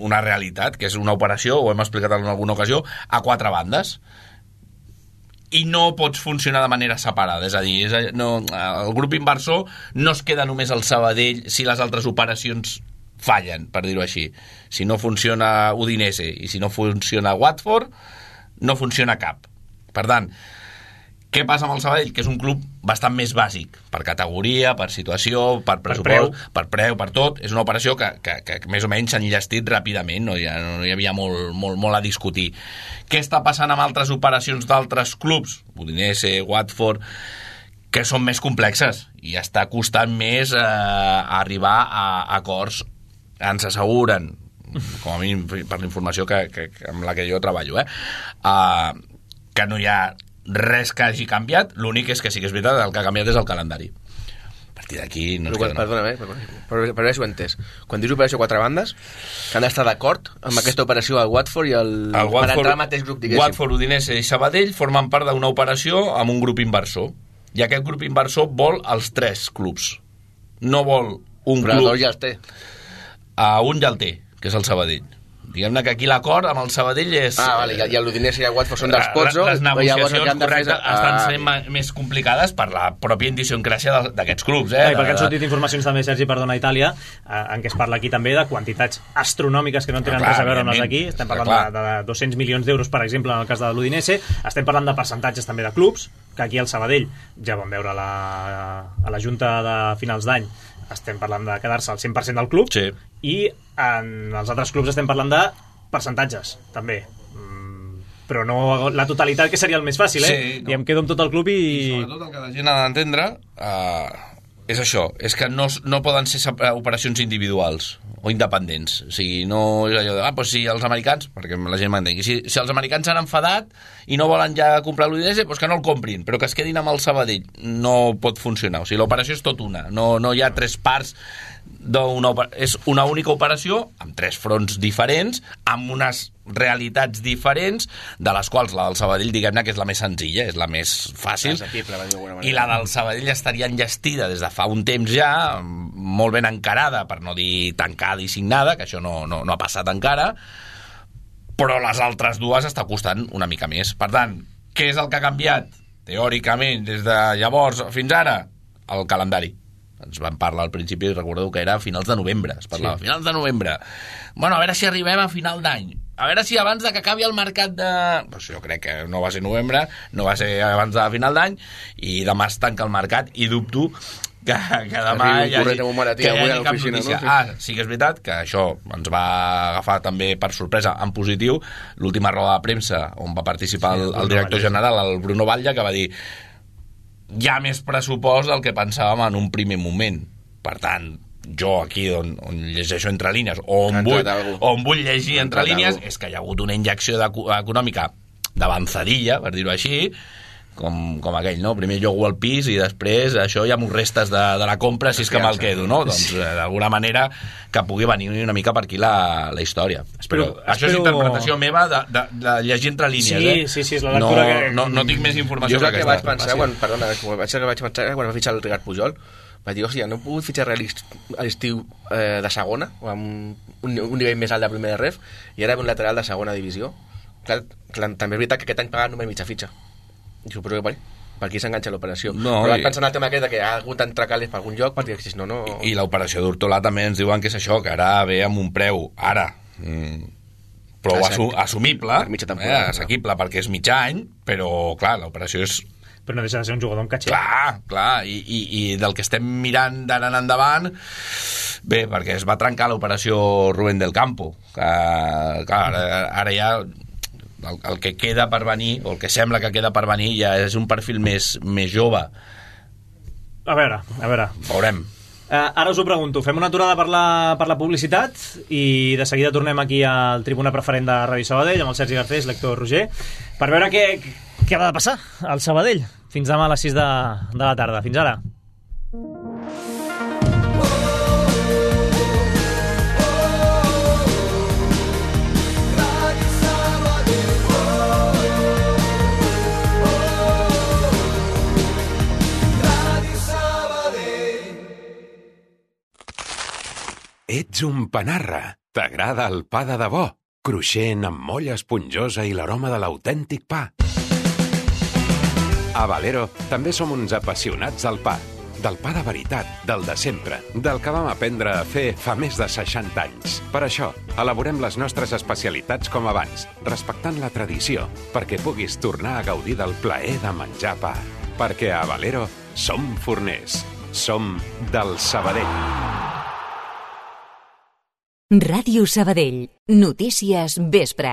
una realitat, que és una operació, ho hem explicat en alguna ocasió, a quatre bandes. I no pots funcionar de manera separada. És a dir, és a, no, el grup inversor no es queda només al Sabadell si les altres operacions fallen, per dir-ho així. Si no funciona Udinese i si no funciona Watford, no funciona cap. Per tant, què passa amb el Sabadell? Que és un club bastant més bàsic, per categoria, per situació, per pressupost, per preu, per, preu, per tot. És una operació que, que, que més o menys s'ha enllestit ràpidament, no hi, ha, no hi havia molt, molt, molt a discutir. Què està passant amb altres operacions d'altres clubs? Udinese, Watford, que són més complexes i està costant més eh, arribar a, a acords. Ens asseguren, com a mínim per la informació que, que, que amb la que jo treballo, eh, uh, que no hi ha res que hagi canviat. L'únic és que sí que és veritat, el que ha canviat és el calendari. A partir d'aquí no ens queda... Perdona, eh, per, per, per veure si ho he entès. Quan dius operació quatre bandes, que han d'estar d'acord amb aquesta operació al Watford i el... el Watford, per entrar al mateix grup, diguéssim. Watford, Udinese i Sabadell formen part d'una operació amb un grup inversor. I aquest grup inversor vol els tres clubs. No vol un Però club... Però els dos ja els té. A un ja el té, que és el Sabadell. Diguem-ne que aquí l'acord amb el Sabadell és... Ah, vale, i el l'Udinese i el Watford són dels Pozzo. Les negociacions correctes de estan sent ah, més complicades per la pròpia idiosincràsia d'aquests clubs. Eh? Ah, perquè han sortit informacions també, Sergi, perdona, a Itàlia, en què es parla aquí també de quantitats astronòmiques que no tenen res a veure amb les d'aquí. Estem parlant de, de dos-cents milions d'euros, per exemple, en el cas de l'Udinese. Estem parlant de percentatges també de clubs, que aquí al Sabadell ja vam veure la, a la Junta de finals d'any, estem parlant de quedar-se al cent per cent del club, sí. I en els altres clubs estem parlant de percentatges, també. Mm, però no la totalitat, que seria el més fàcil, eh? Sí, no. I em quedo amb tot el club i... I sobretot el que la gent ha d'entendre uh, és això, és que no, no poden ser operacions individuals o independents. O sigui, no és allò de, ah, doncs si els americans, perquè la gent m'entengui, si, si els americans s'han enfadat i no volen ja comprar l'U D S, doncs que no el comprin, però que es quedin amb el Sabadell. No pot funcionar. O sigui, l'operació és tot una. No, no hi ha tres parts d'una... És una única operació amb tres fronts diferents, amb unes realitats diferents, de les quals la del Sabadell, diguem-ne, que és la més senzilla, és la més fàcil, i la del Sabadell estaria enllestida des de fa un temps ja, molt ben encarada, per no dir tancada i signada, que això no, no, no ha passat encara, però les altres dues està costant una mica més. Per tant, què és el que ha canviat, teòricament, des de llavors fins ara? El calendari. Ens van parlar al principi, recordeu que era a finals de novembre, es parlava, sí. Finals de novembre. Bueno, a veure si arribem a final d'any. A veure si abans de que acabi el mercat de... Pues jo crec que no va ser novembre, no va ser abans de final d'any, i demà es tanca el mercat, i dubto que, que demà hi hagi, que hi hagi cap notícia. No? Ah, sí que és veritat que això ens va agafar també per sorpresa en positiu, l'última roda de premsa on va participar sí, el, el director general, el Bruno Batlle, que va dir hi ha més pressupost del que pensàvem en un primer moment. Per tant, jo aquí on, on llegeixo entre línies o on, vull, on vull llegir entre línies és que hi ha hagut una injecció econòmica d'avançadilla, per dir-ho així, com, com aquell, no? Primer llogo al pis i després això ja m'ho restes de, de la compra si és que me'l quedo, no? Doncs d'alguna manera que pugui venir una mica per aquí la, la història. Espero, Però espero... això és interpretació meva de, de, de llegir entre línies, sí, eh? Sí, sí, és la lectura no, que... No, no tinc més informació jo que que vaig pensar, quan, perdona, vaig, vaig pensar quan va fitxar el Ricard Pujol, vaig dir, hòstia, no he pogut fitxar a l'estiu eh, de segona, o amb un, un nivell més alt de primera ref, i ara un lateral de segona divisió. Clar, clar, també és veritat que aquest any paguen només mitja fitxa. Jo, però per, per aquí s'enganxa l'operació. No, però vaig pensar en el tema aquest de que ha hagut d'entrar calés per algun lloc, perquè si no, no... I, i l'operació d'Hortolà també ens diuen que és això, que ara ve amb un preu, ara, mm, prou assu assumible, eh, assequible, perquè és mig any, però, clar, l'operació és... Però no deixa de ser un jugador amb catxer. Clar, clar, i, i, i del que estem mirant d'ara en endavant, bé, perquè es va trencar l'operació Rubén del Campo, que, clar, ara, ara ja... El, el que queda per venir, o el que sembla que queda per venir, ja és un perfil més, més jove. A veure, a veure. Veurem. Uh, ara us ho pregunto, fem una aturada per la, per la publicitat i de seguida tornem aquí al Tribuna Preferent de Ràdio Sabadell amb el Sergi Garcés, l'Héctor Roger, per veure què, què ha de passar al Sabadell fins demà a les sis de, de la tarda. Fins ara. Ets un panarra. T'agrada el pa de debò, cruixent amb molla esponjosa i l'aroma de l'autèntic pa. A Valero també som uns apassionats del pa. Del pa de veritat, del de sempre, del que vam aprendre a fer fa més de seixanta anys. Per això, elaborem les nostres especialitats com abans, respectant la tradició, perquè puguis tornar a gaudir del plaer de menjar pa. Perquè a Valero som forners. Som del Sabadell. Ràdio Sabadell. Notícies vespre.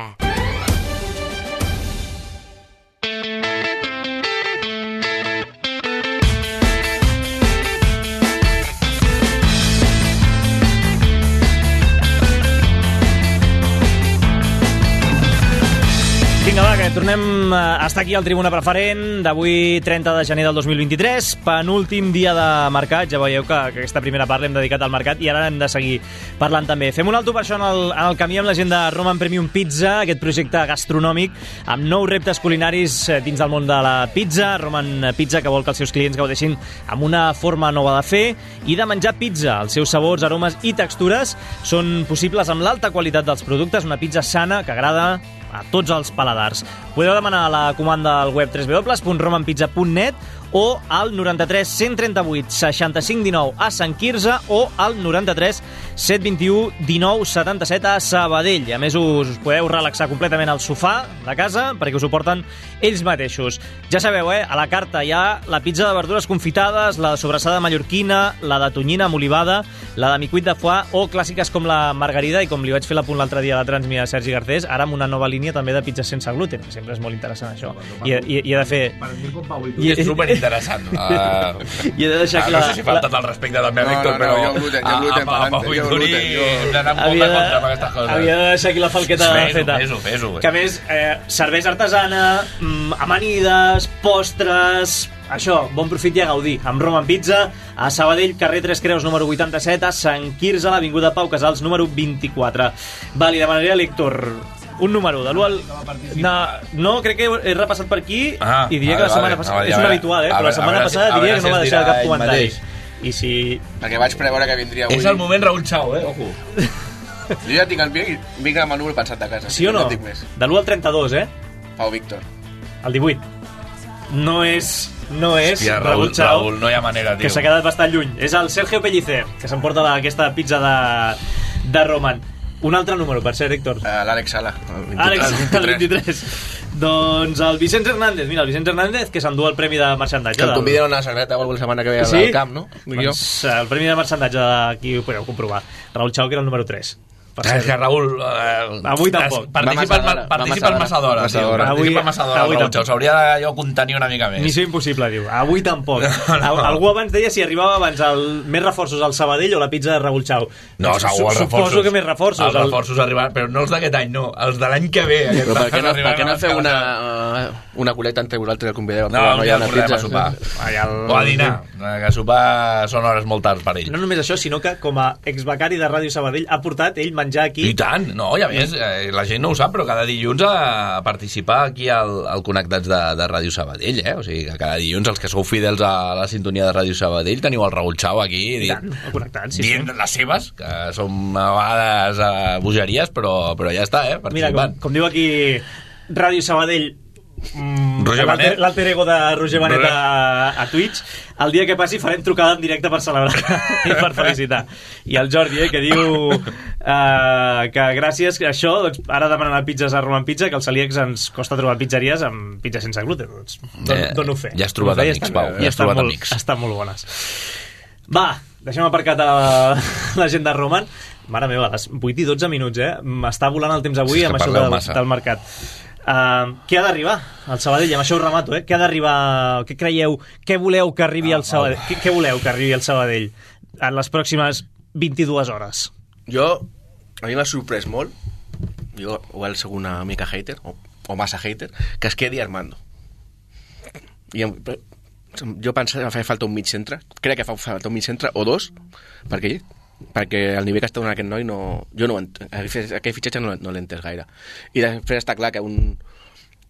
Vinga, va, que tornem a estar aquí al Tribuna Preferent d'avui, trenta de gener del dos mil vint-i-tres, penúltim dia de mercat. Ja veieu que, que aquesta primera part l'hem dedicat al mercat i ara hem de seguir parlant també. Fem un alto per això en el, en el camí amb la gent de Roman Premium Pizza, aquest projecte gastronòmic amb nous reptes culinaris dins del món de la pizza. Roman Pizza, que vol que els seus clients gaudeixin amb una forma nova de fer i de menjar pizza. Els seus sabors, aromes i textures són possibles amb l'alta qualitat dels productes, una pizza sana que agrada a tots els paladars. Podeu demanar la comanda al web w w w punt roman pizza punt net o al noranta-tres cent trenta-vuit seixanta-cinc dinou a Sant Quirze o al noranta-tres set vint-i-u dinou setanta-set a Sabadell. A més, us, us podeu relaxar completament al sofà de casa perquè us ho porten ells mateixos. Ja sabeu, eh? A la carta hi ha la pizza de verdures confitades, la de sobrassada mallorquina, la de tonyina amb olivada, la de micuit de foie o clàssiques com la margarida, i com li vaig fer l'apunt l'altre dia a la Transmia a Sergi Garcés, ara amb una nova línia també de pizzas sense gluten, que sempre és molt interessant això. I, i, i he de fer... I és superinteressant. Uh, I he de deixar ah, clar... No sé si faltat el respecte també a Víctor, però... No, no, jo gluten, jo gluten, amb el Pau i Turi hem d'anar molt de compte amb aquestes coses. Havia de deixar aquí la falqueta feta. Fes-ho, fes-ho. Que a més, eh, cervesa artesana, amanides, postres... Això, bon profit i a gaudir. Amb Roman Pizza, a Sabadell, carrer Tres Creus, número vuitanta-set, a Sant Quirze, a l'avinguda Pau Casals, número vint-i-quatre. Va, li demanaria a l'Héctor un número de l'u al... No, no, crec que he repassat per aquí ah, i diria que la setmana passada... És un habitual, eh? Però la setmana passada diria que no va deixar cap comentari. I si... Perquè vaig preveure que vindria avui... És el moment Raúl Chao, eh? Ojo. Jo ja tinc el vinc, vinc amb el número pensat de casa. Sí o no? De l'u al trenta-dos, eh? Pau Víctor. El divuit. No és... No és Hòstia, Raúl Chao, Raúl, no hi ha manera, tio. Que s'ha quedat bastant lluny. És el Sergio Pellicer, que s'emporta la, aquesta pizza de, de Roman. Un altre número, per ser, Héctor. Uh, L'Àlex Sala. Àlex, el vint-i-tres. Doncs el Vicenç Hernández. Mira, el Vicenç Hernández, que s'endú el premi de marxandatge. Que el conviden a una sagreta o alguna setmana que ve sí? al camp, no? Doncs el premi de marxandatge d'aquí ho podeu comprovar. Raúl Chao, que era el número tres. És que Raúl... Eh, avui tampoc. Participa, massa participa el massa d'hora, tio. Participa massa d'hora, Raúl Chao. S'hauria d'allò contenir una mica més. Missió impossible, diu. Avui tampoc. No, no. Algú abans deia si arribava abans el més reforços al Sabadell o la pizza de Raúl Chao. No, segur, els reforços. Suposo que més reforços. Els reforços arribaran, però no els d'aquest any, no. Els de l'any que ve. Però per què no, per què no feu una, una coleta entre vosaltres que convideu? No, no hi ha una pizza a sopar. O a dinar. Que a sopar són hores molt tard per ell. No només això, sinó que com a exbecari de Ràdio Sabadell ha portat ell menjar aquí... I tant. No, i a més, eh, la gent no ho sap, però cada dilluns a participar aquí al, al Connectats de, de Ràdio Sabadell, eh? O sigui, que cada dilluns els que sou fidels a la sintonia de Ràdio Sabadell teniu el Raúl Chao aquí dient, sí, dient sí. les seves, que són a vegades eh, bogeries, però, però ja està, eh? Mira, com, com diu aquí Ràdio Sabadell, Mm, l'alter ego de Roger Benet a, a Twitch, el dia que passi farem trucada en directe per celebrar i per felicitar. I el Jordi, eh, que diu uh, que gràcies a això, doncs, ara demanen a pizzas a Roman Pizza, que als celíacs ens costa trobar pizzeries amb pizza sense gluten, doncs don, eh, dono fe. Ja has trobat amics, estan, Pau, ja has trobat molt, amics. Estan molt bones. Va, deixem aparcat a la gent de Roman. Mare meva, a les vuit i dotze minuts, eh? M'està volant el temps avui amb això del, del mercat. Uh, què ha d'arribar al Sabadell? Amb això ho remato, eh? Què ha d'arribar? Què creieu? Què voleu que arribi al Sabadell? Què, què voleu que arribi al Sabadell en les pròximes vint-i-dues hores? Jo, a mi m'ha sorprès molt, jo igual soc una mica hater, o, o massa hater, que es quedi Armando. I jo pensava que feia falta un mig centre, crec que fa falta un mig centre o dos, perquè perquè el nivell que està donant aquest noi no, jo no aquell fitxatge no, no l'he entès gaire, i després està clar que un,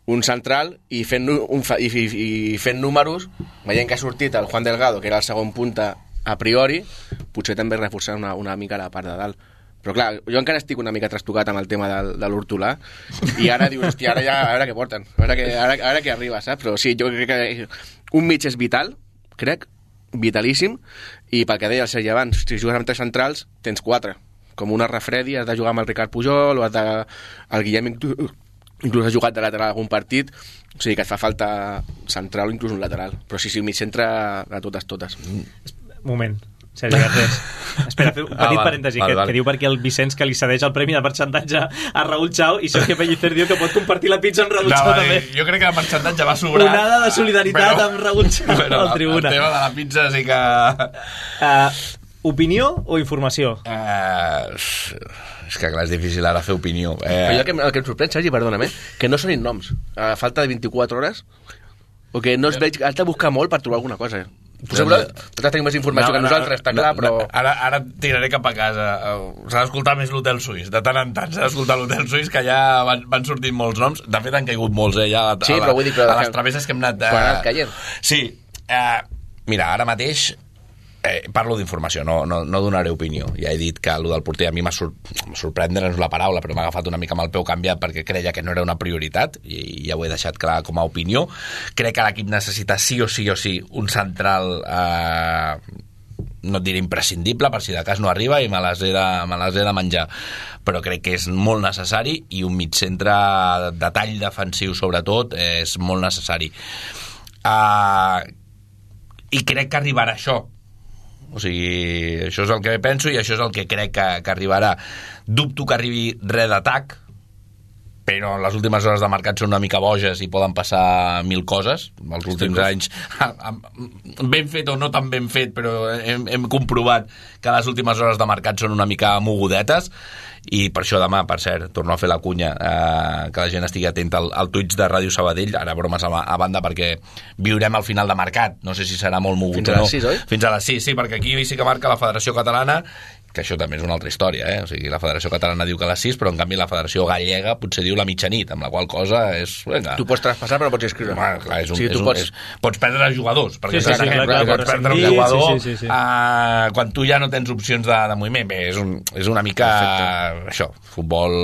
un central i fent, un, i, i, i fent números, veient que ha sortit el Juan Delgado, que era el segon punta a priori, potser també reforçar una, una mica la part de dalt, però clar, jo encara estic una mica trastocat amb el tema de, de l'Hortolà, i ara dius, hòstia, ara ja, a veure què porten, a veure què, ara, ara què arriba, saps? Però sí, jo crec que un mig és vital, crec, vitalíssim, i pel que deia el Sergi abans, si jugues amb tres centrals tens quatre, com una refredi, has de jugar amb el Ricard Pujol o has de... el Guillem inclús ha jugat de lateral algun partit, o sigui que et fa falta central o inclús un lateral, però sí, sí, mig centre de totes, totes. Moment, Sergi Garcés, espera, fer un petit ah, parèntesi, val, que, val. que diu perquè el Vicenç que li cedeix el premi de marxandatge a Raúl Chao, i Sergi Pellicer diu que pot compartir la pizza amb Raúl no, Chao també. Jo crec que el marxandatge va sobrar. Onada de solidaritat però, amb Raúl Chao al Tribuna. El tema de la pizza sí que... Uh, opinió o informació? Uh, és que clar, és difícil ara fer opinió. Uh, el, que, el que em sorprèn, Sergi, perdona'm, que no sonin noms. A falta de vint-i-quatre hores, o que no es veig... Has de buscar molt per trobar alguna cosa, eh? Potser nosaltres tenim més informació no, que nosaltres, no, està clar, però... Ara, ara tiraré cap a casa. S'ha d'escoltar més l'Hotel Suís. De tant en tant s'ha d'escoltar l'Hotel Suís, que ja van, van sortint molts noms. De fet, han caigut molts, eh? Ja a, sí, a, però vull dir... Però a les travesses que hem anat... Eh... Quan ha anat caient. Sí. Eh, mira, ara mateix... Eh, parlo d'informació, no, no, no donaré opinió. Ja he dit que el del porter a mi m'ha sor sorprendre, no és la paraula, però m'ha agafat una mica amb el peu canviat perquè creia que no era una prioritat i ja ho he deixat clar com a opinió. Crec que l'equip necessita sí o sí o sí un central, eh, no et diré imprescindible, per si de cas no arriba i me les he de, me les he de menjar, però crec que és molt necessari, i un mitcentre de tall defensiu sobretot és molt necessari. Uh, i crec que arribarà això. O sigui, això és el que penso i això és el que crec que, que arribarà. Dubto que arribi res d'atac, però les últimes hores de mercat són una mica boges i poden passar mil coses. Els últims anys, ben fet o no tan ben fet, però hem, hem comprovat que les últimes hores de mercat són una mica mogudetes, i per això demà, per cert, torno a fer la cunya, eh, que la gent estigui atenta al, al Twitch de Ràdio Sabadell, ara bromes a, a banda, perquè viurem al final de mercat, no sé si serà molt mogut fins a les sis, no. oi? Fins a les sis, sí, perquè aquí sí que marca la Federació Catalana, que això també és una altra història, eh? O sigui, la Federació Catalana diu que a les sis, però en canvi la Federació Gallega potser diu la mitjanit, amb la qual cosa és... Venga. Tu pots traspassar però no pots inscriure. Bueno, clar, és un, o sigui, és tu un, pots... és, pots perdre jugadors, perquè sí, sí, sí, clar, clar, pots pots perdre un sentir, jugador sí, sí, sí, sí. Uh, quan tu ja no tens opcions de, de moviment. Bé, és, un, és una mica Perfecte. Això, futbol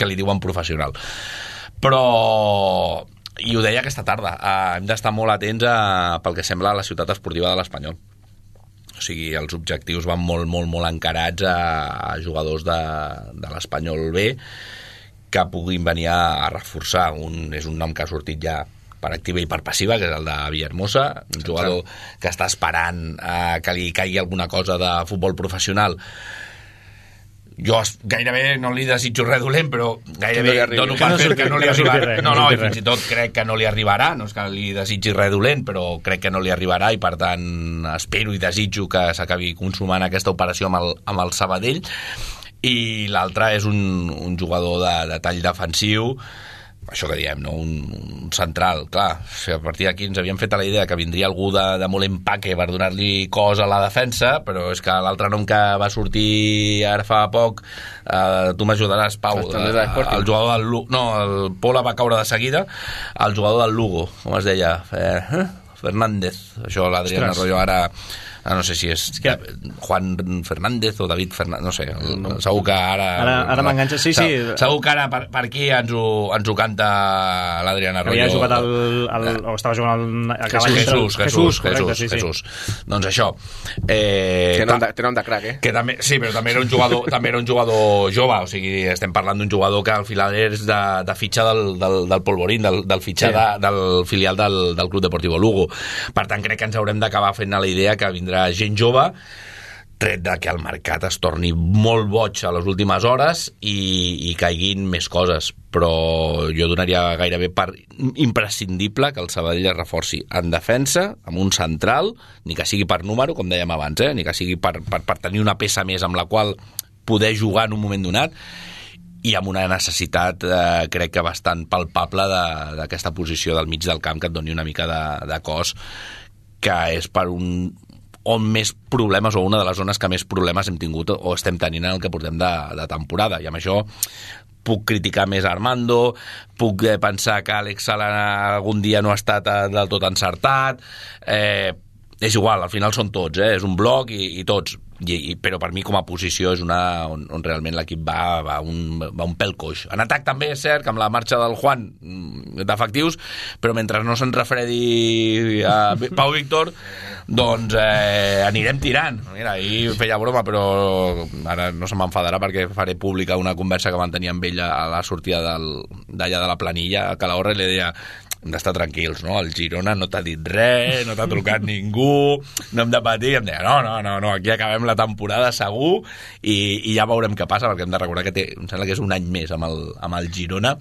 que li diuen professional. Però... i ho deia aquesta tarda, uh, hem d'estar molt atents a, pel que sembla, a la ciutat esportiva de l'Espanyol. O sigui, els objectius van molt, molt, molt encarats a, a jugadors de, de l'Espanyol B que puguin venir a, a reforçar. Un, és un nom que ha sortit ja per activa i per passiva, que és el de Villahermosa, un jugador que està esperant eh, que li caigui alguna cosa de futbol professional. Jo gairebé no li desitjo res dolent, però gairebé no dono per fet que no li arribarà. No, no, i fins i tot crec que no li arribarà, no és que li desitgi res dolent, però crec que no li arribarà, i per tant espero i desitjo que s'acabi consumant aquesta operació amb el, amb el Sabadell. I l'altre és un, un jugador de, de tall defensiu, això que diem, no? un, un central, clar, o sigui, a partir d'aquí ens havíem fet a la idea que vindria algú de, de molt empaque per donar-li cos a la defensa, però és que l'altre nom que va sortir ara fa poc, eh, tu m'ajudaràs, Pau, eh, el jugador del Lugo, no, el Pola va caure de seguida, el jugador del Lugo, com es deia, eh, Fernández, això l'Adrián Arroyo ara... no sé si és que... Juan Fernández o David Fernández, no sé, el, no. Segur que ara... Ara, ara m'enganxa, sí, sí. Segur que ara per, per aquí ens ho, ens ho canta l'Adrián Arroyo. Havia jugat el... el o estava jugant el... Jesús, Jesús, Jesús, correcte, Jesús, sí, sí. Jesús. Doncs això. Eh, té, nom de, té nom de crac, eh? Que també, sí, però també era un jugador, també era un jugador jove, o sigui, estem parlant d'un jugador que al final és de, de fitxa del, del, del Polvorín, del, del fitxa sí. de, del filial del, del Club Deportivo Lugo. Per tant, crec que ens haurem d'acabar fent a la idea que vindrà gent jove, tret de que el mercat es torni molt boig a les últimes hores i, i caiguin més coses, però jo donaria gairebé per imprescindible que el Sabadell es reforci en defensa, amb un central, ni que sigui per número, com dèiem abans, eh? ni que sigui per, per, per tenir una peça més amb la qual poder jugar en un moment donat, i amb una necessitat, eh, crec que bastant palpable d'aquesta posició del mig del camp que et doni una mica de, de cos, que és per un on més problemes, o una de les zones que més problemes hem tingut o estem tenint en el que portem de, de temporada, i amb això puc criticar més Armando, puc eh, pensar que Àlex Sala algun dia no ha estat eh, del tot encertat, eh, és igual, al final són tots, eh, és un bloc i, i tots, I, i, però per mi com a posició és una on, on realment l'equip va, va, un, va un pèl coix. En atac també és cert que amb la marxa del Juan d'efectius, però mentre no se'n refredi a Pau Víctor, doncs eh, anirem tirant. Mira, ahir feia broma, però ara no se m'enfadarà perquè faré pública una conversa que van tenir amb ell a la sortida d'allà de la planilla a Calahorra, i li deia: hem d'estar tranquils, no? El Girona no t'ha dit res, no t'ha trucat ningú, no hem de patir. I em deia, no, no, no, no, aquí acabem la temporada segur, i, i ja veurem què passa, perquè hem de recordar que té, em sembla que és un any més amb el, amb el Girona,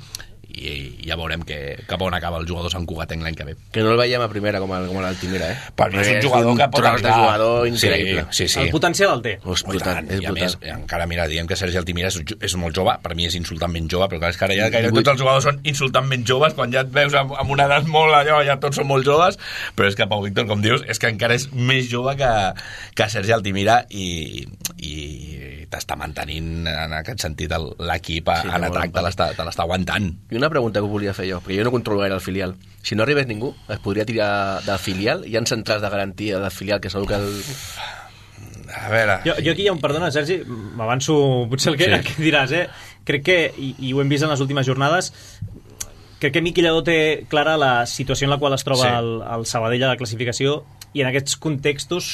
i ja veurem que, cap on acaba el jugador Sant Cugatenc l'any que ve. Que no el veiem a primera com, el, com l'Altimira, eh? Per mi és un jugador un que pot arribar. És un jugador increïble. Sí, sí, sí. El potencial el té. És brutal, és I a brutal. més, encara, mira, diem que Sergi Altimira és, és molt jove, per mi és insultantment jove, però clar, és que ara ja gairebé tots els jugadors són insultantment joves, quan ja et veus amb, amb una edat molt allò, ja tots són molt joves, però és que Pau Víctor, com dius, és que encara és més jove que, que Sergi Altimira, i, i t'està mantenint en aquest sentit l'equip sí, en atac, te l'està aguantant. I una pregunta que volia fer jo, perquè jo no controlo gaire el filial. Si no arribés ningú, es podria tirar del filial? Hi ha centrals de garantia del filial que segur que el... A veure... Jo, jo aquí hi ha un... Perdona, Sergi, m'avanço potser el que, sí. el que diràs, eh? Crec que, i, i ho hem vist en les últimes jornades, crec que Miqui Lladó té clara la situació en la qual es troba sí. el, el Sabadell a la classificació, i en aquests contextos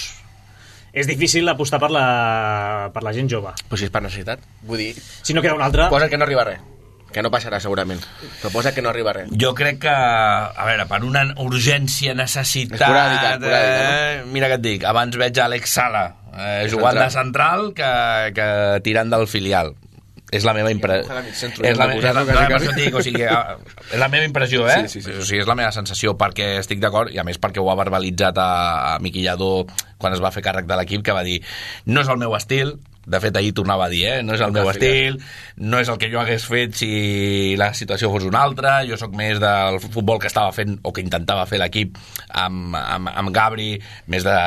és difícil apostar per la, per la gent jove. Pues si és per necessitat, vull dir... Si no queda una altra... Posa que no arriba res. Que no passarà segurament, però posa que no arriba res. Jo crec que, a veure, per una urgència, necessitat... Esporàdica, esporàdica, eh, mira què et dic, abans veig Àlex Sala eh, jugant central. de central que, que tirant del filial. És la meva impressió. És la, és, la, dic, o sigui, és la meva impressió, eh? Sí, sí, sí. O sigui, és la meva sensació, perquè estic d'acord, i a més perquè ho ha verbalitzat a, a Miqui Lladó quan es va fer càrrec de l'equip, que va dir, no és el meu estil. De fet, ahir tornava a dir, eh? no és el meu estil, no és el que jo hagués fet si la situació fos una altra, jo sóc més del futbol que estava fent, o que intentava fer l'equip amb, amb, amb Gabri, més de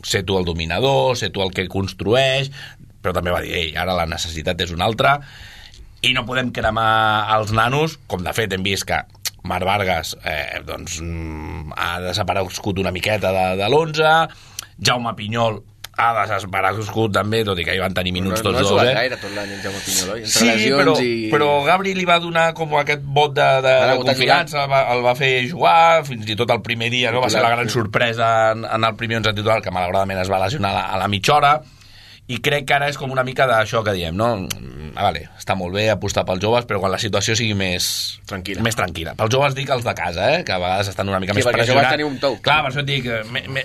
ser tu el dominador, ser tu el que construeix, però també va dir, ei, ara la necessitat és una altra, i no podem cremar els nanos, com de fet hem vist que Marc Vargas eh, doncs, ha desaparegut una miqueta de, de l'onze, Jaume Pinyol ha desaparegut també, tot i que hi van tenir minuts no, tots no dos. No eh? gaire tot l'any en Jaume Pinyol, oi? Sí, però, i... però Gabri li va donar com aquest vot de, de, de confiança, va, el va fer jugar, fins i tot el primer dia, no? Va ser la gran sorpresa en, en el primer onze titular, que malauradament es va lesionar a la, a la mitja hora, i crec que ara és com una mica d'això que diem, no? Ah, vale, està molt bé apostar pels joves, però quan la situació sigui més tranquil·la. Més tranquil·la. Pels joves dic els de casa, eh? Que a vegades estan una mica sí, més pressionats. Tenir un tou. Clar, per això et dic,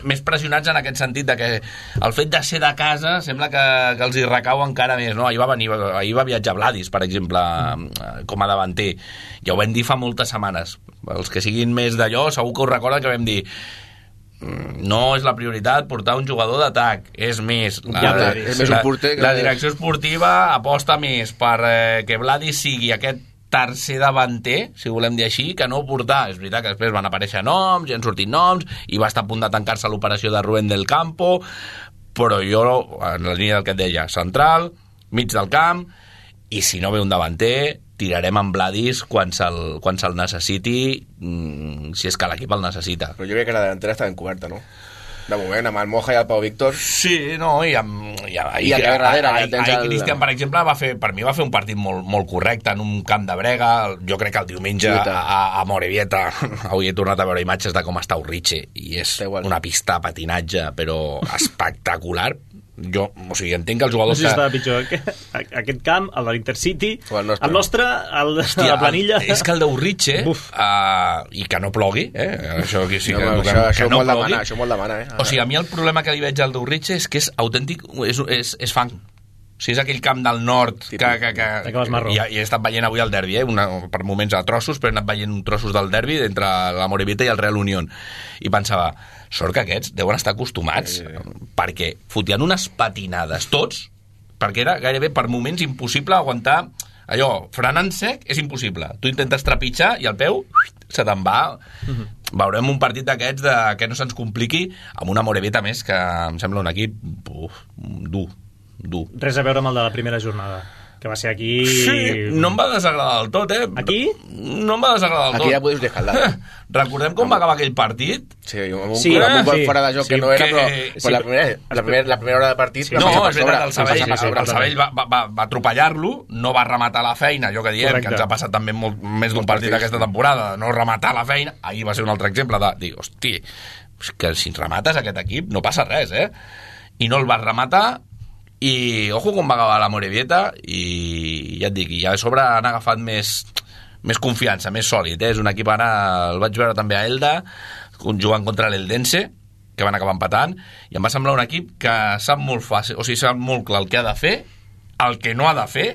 més pressionats en aquest sentit de que el fet de ser de casa sembla que, que els hi recau encara més, no? Ahir va venir, ahir va viatjar Vladis, per exemple, com a davanter. Ja ho vam dir fa moltes setmanes. Els que siguin més d'allò, segur que us recorden que vam dir no és la prioritat portar un jugador d'atac, és més la, ja, la, és més un porter que... la direcció esportiva aposta més per eh, que Vladis sigui aquest tercer davanter, si volem dir així, que no portar. És veritat que després van aparèixer noms, ja han sortit noms, i va estar a punt de tancar-se l'operació de Rubén del Campo, però jo, en la línia del que et deia, central, mig del camp, i si no ve un davanter, tirarem amb Vladis quan se'l, quan se'l necessiti, mmm, si és que l'equip el necessita. Però jo crec que la delantera està ben coberta, no? De moment, amb el Moja i el Pau Víctor. Sí, no, i amb... I, I a darrere, ahir el... Cristian, per exemple, va fer, per mi va fer un partit molt, molt correcte en un camp de brega. Jo crec que el diumenge a, a, a Morevieta, avui he tornat a veure imatges de com està Urriche, i és una pista de patinatge, però espectacular. Jo, o sigui, entenc que els jugadors... No sé si estava pitjor. Aquest camp, el de l'Intercity, el nostre, el nostre el de Hòstia, la planilla... El, és que el d'Urriche, uh, i que no plogui, eh? Això, que, sí, no, que, això, que, això, que no molt plogui. Demana, això molt demana, eh? O sigui, a mi el problema que li veig al d'Urriche és que és autèntic, és, és, és fang. O sigui, és aquell camp del nord que, que, que, i, i he estat veient avui el derbi, eh? Una, per moments a trossos, però he anat veient trossos del derbi entre la Morevieta i el Real Unión, i pensava, sort que aquests deuen estar acostumats, sí, sí. perquè fotien unes patinades tots, perquè era gairebé per moments impossible aguantar allò, frenant sec és impossible, tu intentes trepitjar i el peu se te'n va. Uh-huh. Veurem un partit d'aquests de que no se'ns compliqui amb una Morevieta més que em sembla un equip uf, dur dur. Res a veure amb el de la primera jornada, que va ser aquí... Sí, no em va desagradar del tot, eh? Aquí? No em va desagradar del tot. Aquí ja podeu descaldar. Recordem com va acabar aquell partit? Sí, amb un, sí, amb un sí. fora de joc sí, que no era, però, que... però la, primera, la, primera, la primera hora de partit... Sí, no, és veritat, el Sabadell, el, el Sabadell va, va, va atropellar-lo, no va rematar la feina, allò que diem, correcte, que ens ha passat també molt, més d'un partit d'aquesta temporada, no rematar la feina. Ahir va ser un altre exemple de dir, hosti, que si remates aquest equip no passa res, eh? I no el vas rematar, i ojo com va acabar la Morevieta, i ja et dic, i ja a sobre han agafat més, més confiança, més sòlid, eh? És un equip, ara el vaig veure també a Elda jugant contra l'Eldense, que van acabar empatant, i em va semblar un equip que sap molt fàcil, o sigui, sap molt clar el que ha de fer, el que no ha de fer,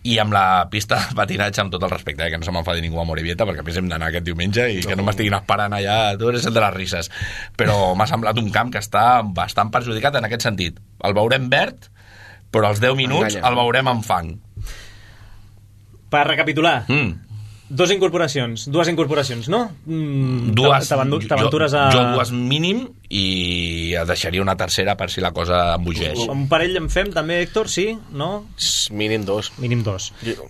i amb la pista de patinatge, amb tot el respecte, eh, que no se m'enfadi ningú a Morevieta, perquè a més hem d'anar aquest diumenge i no. que no m'estiguin esperant allà, tu eres el de les risses. Però m'ha semblat un camp que està bastant perjudicat en aquest sentit. El veurem verd, però als deu minuts Enganya. el veurem en fang. Per recapitular, mm. dos incorporacions, dues incorporacions, no? Mm, dues, t'aventures a... Jo dues mínim, i deixaria una tercera per si la cosa embogeix. Un parell en fem també, Héctor, sí? No? Mínim dos. Mínim dos. Jo,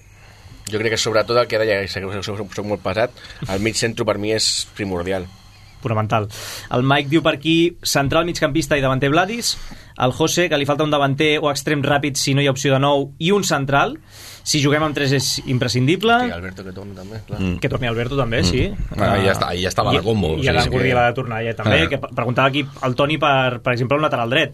jo crec que sobretot el que deia, que soc, soc molt pesat, el mig centre per mi és primordial. Fonamental. El Mike diu per aquí, central, migcampista i davanter Vladis, el José, que li falta un davanter o extrem ràpid si no hi ha opció de nou, i un central. Si juguem amb tres és imprescindible. Sí, Alberto que torni també, clar. Mm. Que torni Alberto també, mm. sí. Ah, ja, està, ja estava I, la combo. I, sí, i ara sí, Gurri que... l'ha de tornar ja també, ah. que preguntava aquí el Toni per, per exemple, un lateral dret.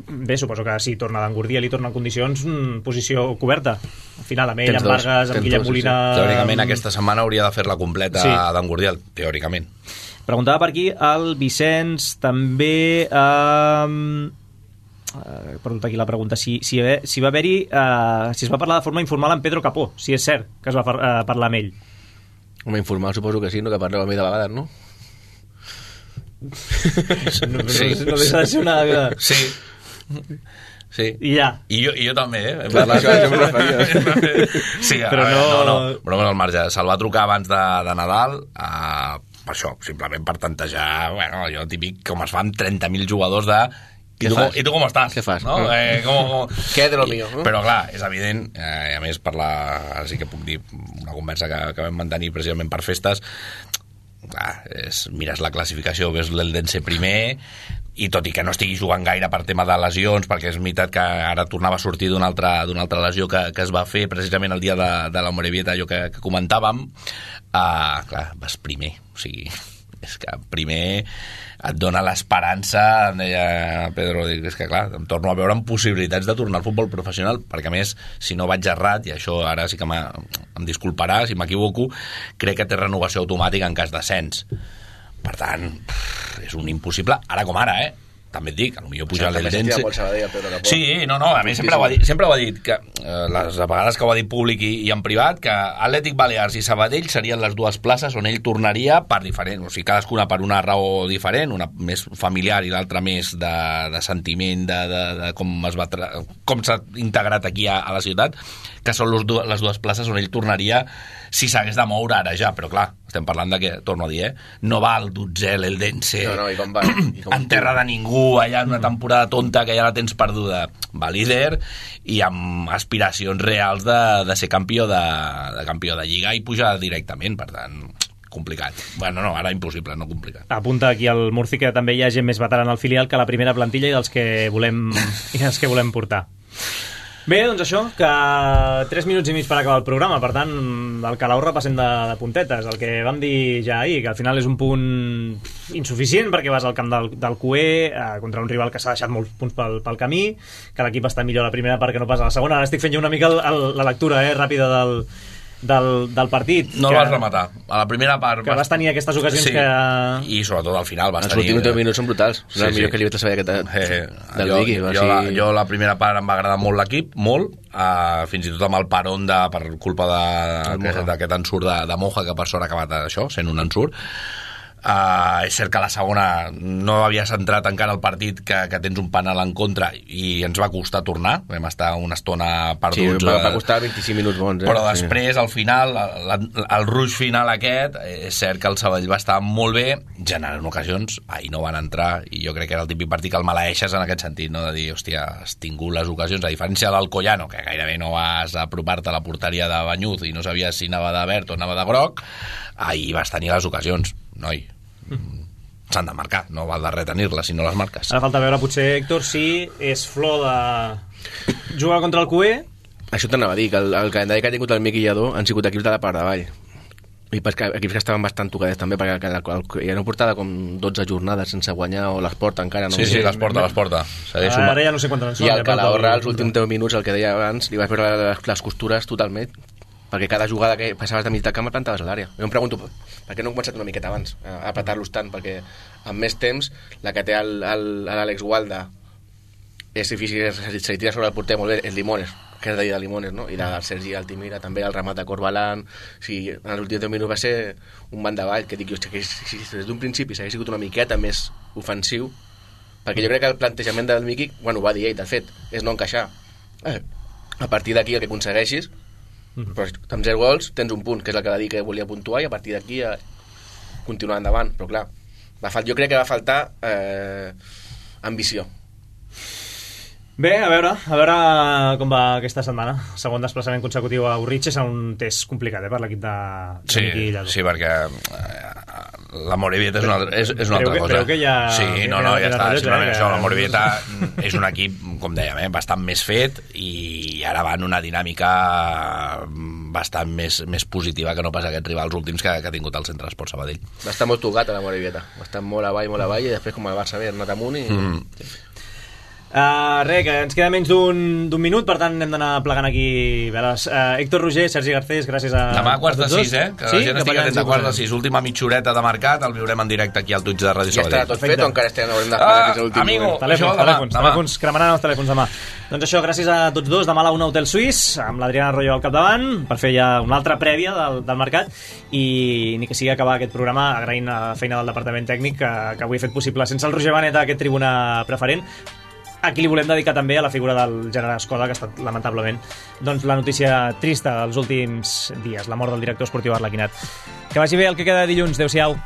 Bé, suposo que si torna d'Angurdia li torna en condicions mm, posició coberta. Al final, amb ell, amb Vargas, amb Guillem Molina... Sí, sí. Teòricament aquesta setmana hauria de fer-la completa sí. d'Angurdia, teòricament. Preguntava per aquí el Vicenç també... Eh, Uh, perdó, aquí la pregunta si, si, si va haver-hi uh, si es va parlar de forma informal amb Pedro Capó, si és cert que es va uh, parlar amb ell. Home, informal suposo que sí, no, que parleu amb ell de vegades, no? no, no, sí. no deixa de ser una... Sí. Sí. I ja. I jo, i jo també, eh? Clar, això, això m'ho referia. Sí, però veure, no... no, no, però al marge. Se'l va trucar abans de, de Nadal, uh, per això, simplement per tantejar, bueno, allò típic, com es fa amb trenta mil jugadors de... I tu, i tu com estàs? Què fas? No? Eh, com... Què de lo mío? No? Però clar, és evident, eh, a més per la... Ara sí que puc dir una conversa que, que vam mantenir precisament per festes, clar, és, mires la classificació, ves l'Eldense primer, i tot i que no estigui jugant gaire per tema de lesions, perquè és veritat que ara tornava a sortir d'una altra, d'una altra lesió que, que es va fer precisament el dia de, de la Morevieta, allò que, que comentàvem, uh, clar, vas primer, o sigui... és que primer et dona l'esperança, em deia Pedro, dic, és que clar, em torno a veure amb possibilitats de tornar al futbol professional, perquè a més, si no vaig errat, i això ara sí que em disculparà si m'equivoco, crec que té renovació automàtica en cas d'ascens. Per tant, és un impossible, ara com ara, eh? També et dic, potser pujar l'Eldense... Sí, no, no, a mi sempre ho ha dit, sempre ho ha dit que eh, les vegades que ho ha dit públic i, i en privat, que Atlètic Balears i Sabadell serien les dues places on ell tornaria per diferent, o sigui, cadascuna per una raó diferent, una més familiar i l'altra més de, de sentiment de, de, de com es va tra... com s'ha integrat aquí a, a la ciutat, que són les dues, les dues places on ell tornaria si s'hagués de moure ara ja, però clar, estem parlant de que, torno a dir, eh, no va el dotzè, l'Eldense, no, no, i com va? I com en terra de ningú, allà en una temporada tonta que ja la tens perduda, va líder i amb aspiracions reals de, de ser campió de, de campió de Lliga i pujar directament, per tant complicat. Bueno, no, ara impossible, no complicat. Apunta aquí al Murci que també hi ha gent més veterana al filial que la primera plantilla i dels que volem, i dels que volem portar. Bé, doncs això, que tres minuts i mig per acabar el programa, per tant, el Calau repassem de, de puntetes, el que vam dir ja ahir, que al final és un punt insuficient perquè vas al camp del, del Q E eh, contra un rival que s'ha deixat molts punts pel, pel camí, que l'equip està millor a la primera part que no pas a la segona. Ara estic fent jo una mica el, el, la lectura eh, ràpida del, del, del partit. No que, el vas rematar. A la primera part... Que vas, vas tenir aquestes ocasions sí, que... i sobretot al final vas els tenir... Els últims deu minuts són brutals. Sí, el sí. millor que li vaig saber aquest, eh, del jo, Vicky. Jo, jo, la, jo la primera part em va agradar molt l'equip, molt, uh, fins i tot amb el peron de, per culpa d'aquest ensurt de, de Moja, que per sort ha acabat això, sent un ensurt. Uh, és cert que la segona no havia centrat encara el partit, que, que tens un penal en contra i ens va costar tornar, vam estar una estona perduts. Sí, va, va costar vint-i-cinc minuts bons, eh? Però després, sí. Al final, el, el rush final aquest, és cert que el Sabadell va estar molt bé, generant ocasions, ahir no van entrar, i jo crec que era el típic partit que el maleeixes en aquest sentit, no? De dir, hòstia, has tingut les ocasions, a diferència del Collano, que gairebé no vas apropar-te a la porteria de Banyuz i no sabies si anava de verd o anava de groc, ahir vas tenir les ocasions, noi. S'han de marcar, no val de retenir-les si no les marques. Ara falta veure potser, Héctor, si és flor de jugar contra el Q E. Això t'anava a dir, que el, el calendari que ha tingut el Miqui Lladó han sigut equips de la part davall i perquè equips que estaven bastant tocadets també, perquè el, el, el, ja no portava com dotze jornades sense guanyar, o les porta encara no? Sí, sí, les porta, les porta. Ara, ara ja no sé quantes en són. I el Calahorra, els últims deu minuts, el que deia abans, li vas veure les, les costures totalment, perquè cada jugada que passaves de mig de camp et plantaves a l'àrea. Jo em pregunto, per què no hem començat una miqueta abans a apretar-los tant? Perquè amb més temps, la que té l'Àlex Gualda és difícil, se li tira sobre el porter molt bé, és Limones, que és de de Limones, no? I la del Sergi Altimira, també el remat de Corbalan. O sigui, en els últims deu minuts va ser un bandavall, que dic, hòstia, que si des d'un principi s'hagués sigut una miqueta més ofensiu, perquè jo crec que el plantejament del Miqui, bueno, ho va dir ell, de fet, és no encaixar. Eh, a partir d'aquí el que aconsegueixis, però amb zero gols tens un punt, que és el que va dir que volia puntuar, i a partir d'aquí a continuar endavant. Però clar, va fal... jo crec que va faltar eh, ambició. Bé, a veure, a veure com va aquesta setmana. Segon desplaçament consecutiu a Urritx, és un test complicat, eh, per l'equip de, de sí, Miqui Lladó. Sí, perquè eh, la Morevieta és una, és, és una creu altra que, cosa. Creu que ja... Sí, no, no, ja està. Simplement eh, això, la Morevieta és un equip, com dèiem, eh, bastant més fet i ara va en una dinàmica bastant més, més positiva que no pas aquests rivals últims que, que ha tingut el Centre d'Esport Sabadell. Va estar molt tocat a la Morevieta. Va estar molt avall, molt avall, i després com el Barça ve, ha anat amunt i... Mm. Sí. Uh, res, que ens queda menys d'un minut, per tant hem d'anar plegant aquí veles. Uh, Héctor Roger, Sergi Garcés, gràcies a... Demà a quarts de sis, eh? Que sí? la gent estigui atent a quarts de sis. Última mitjoreta de mercat, el viurem en directe aquí al Twitch de Ràdio Sabadell. Ja està tot fet o encara estem haurem d'esperar fins a l'últim amigo, moment? Telèfons, això, telèfons, demà, telèfons, cremaran els telèfons demà. Doncs això, gràcies a tots dos. Demà a la una Hotel Suís, amb l'Adriana Arroyo al capdavant, per fer ja una altra prèvia del, del mercat, i ni que sigui acabar aquest programa agraint la feina del departament tècnic que, que avui ha fet possible sense el Roger Benet a aquest tribuna preferent. Aquí li volem dedicar també a la figura del gènere Escoda, que ha estat lamentablement doncs, la notícia trista dels últims dies, la mort del director esportiu Arlequinat. Que vagi bé el que queda de dilluns. Adéu-siau.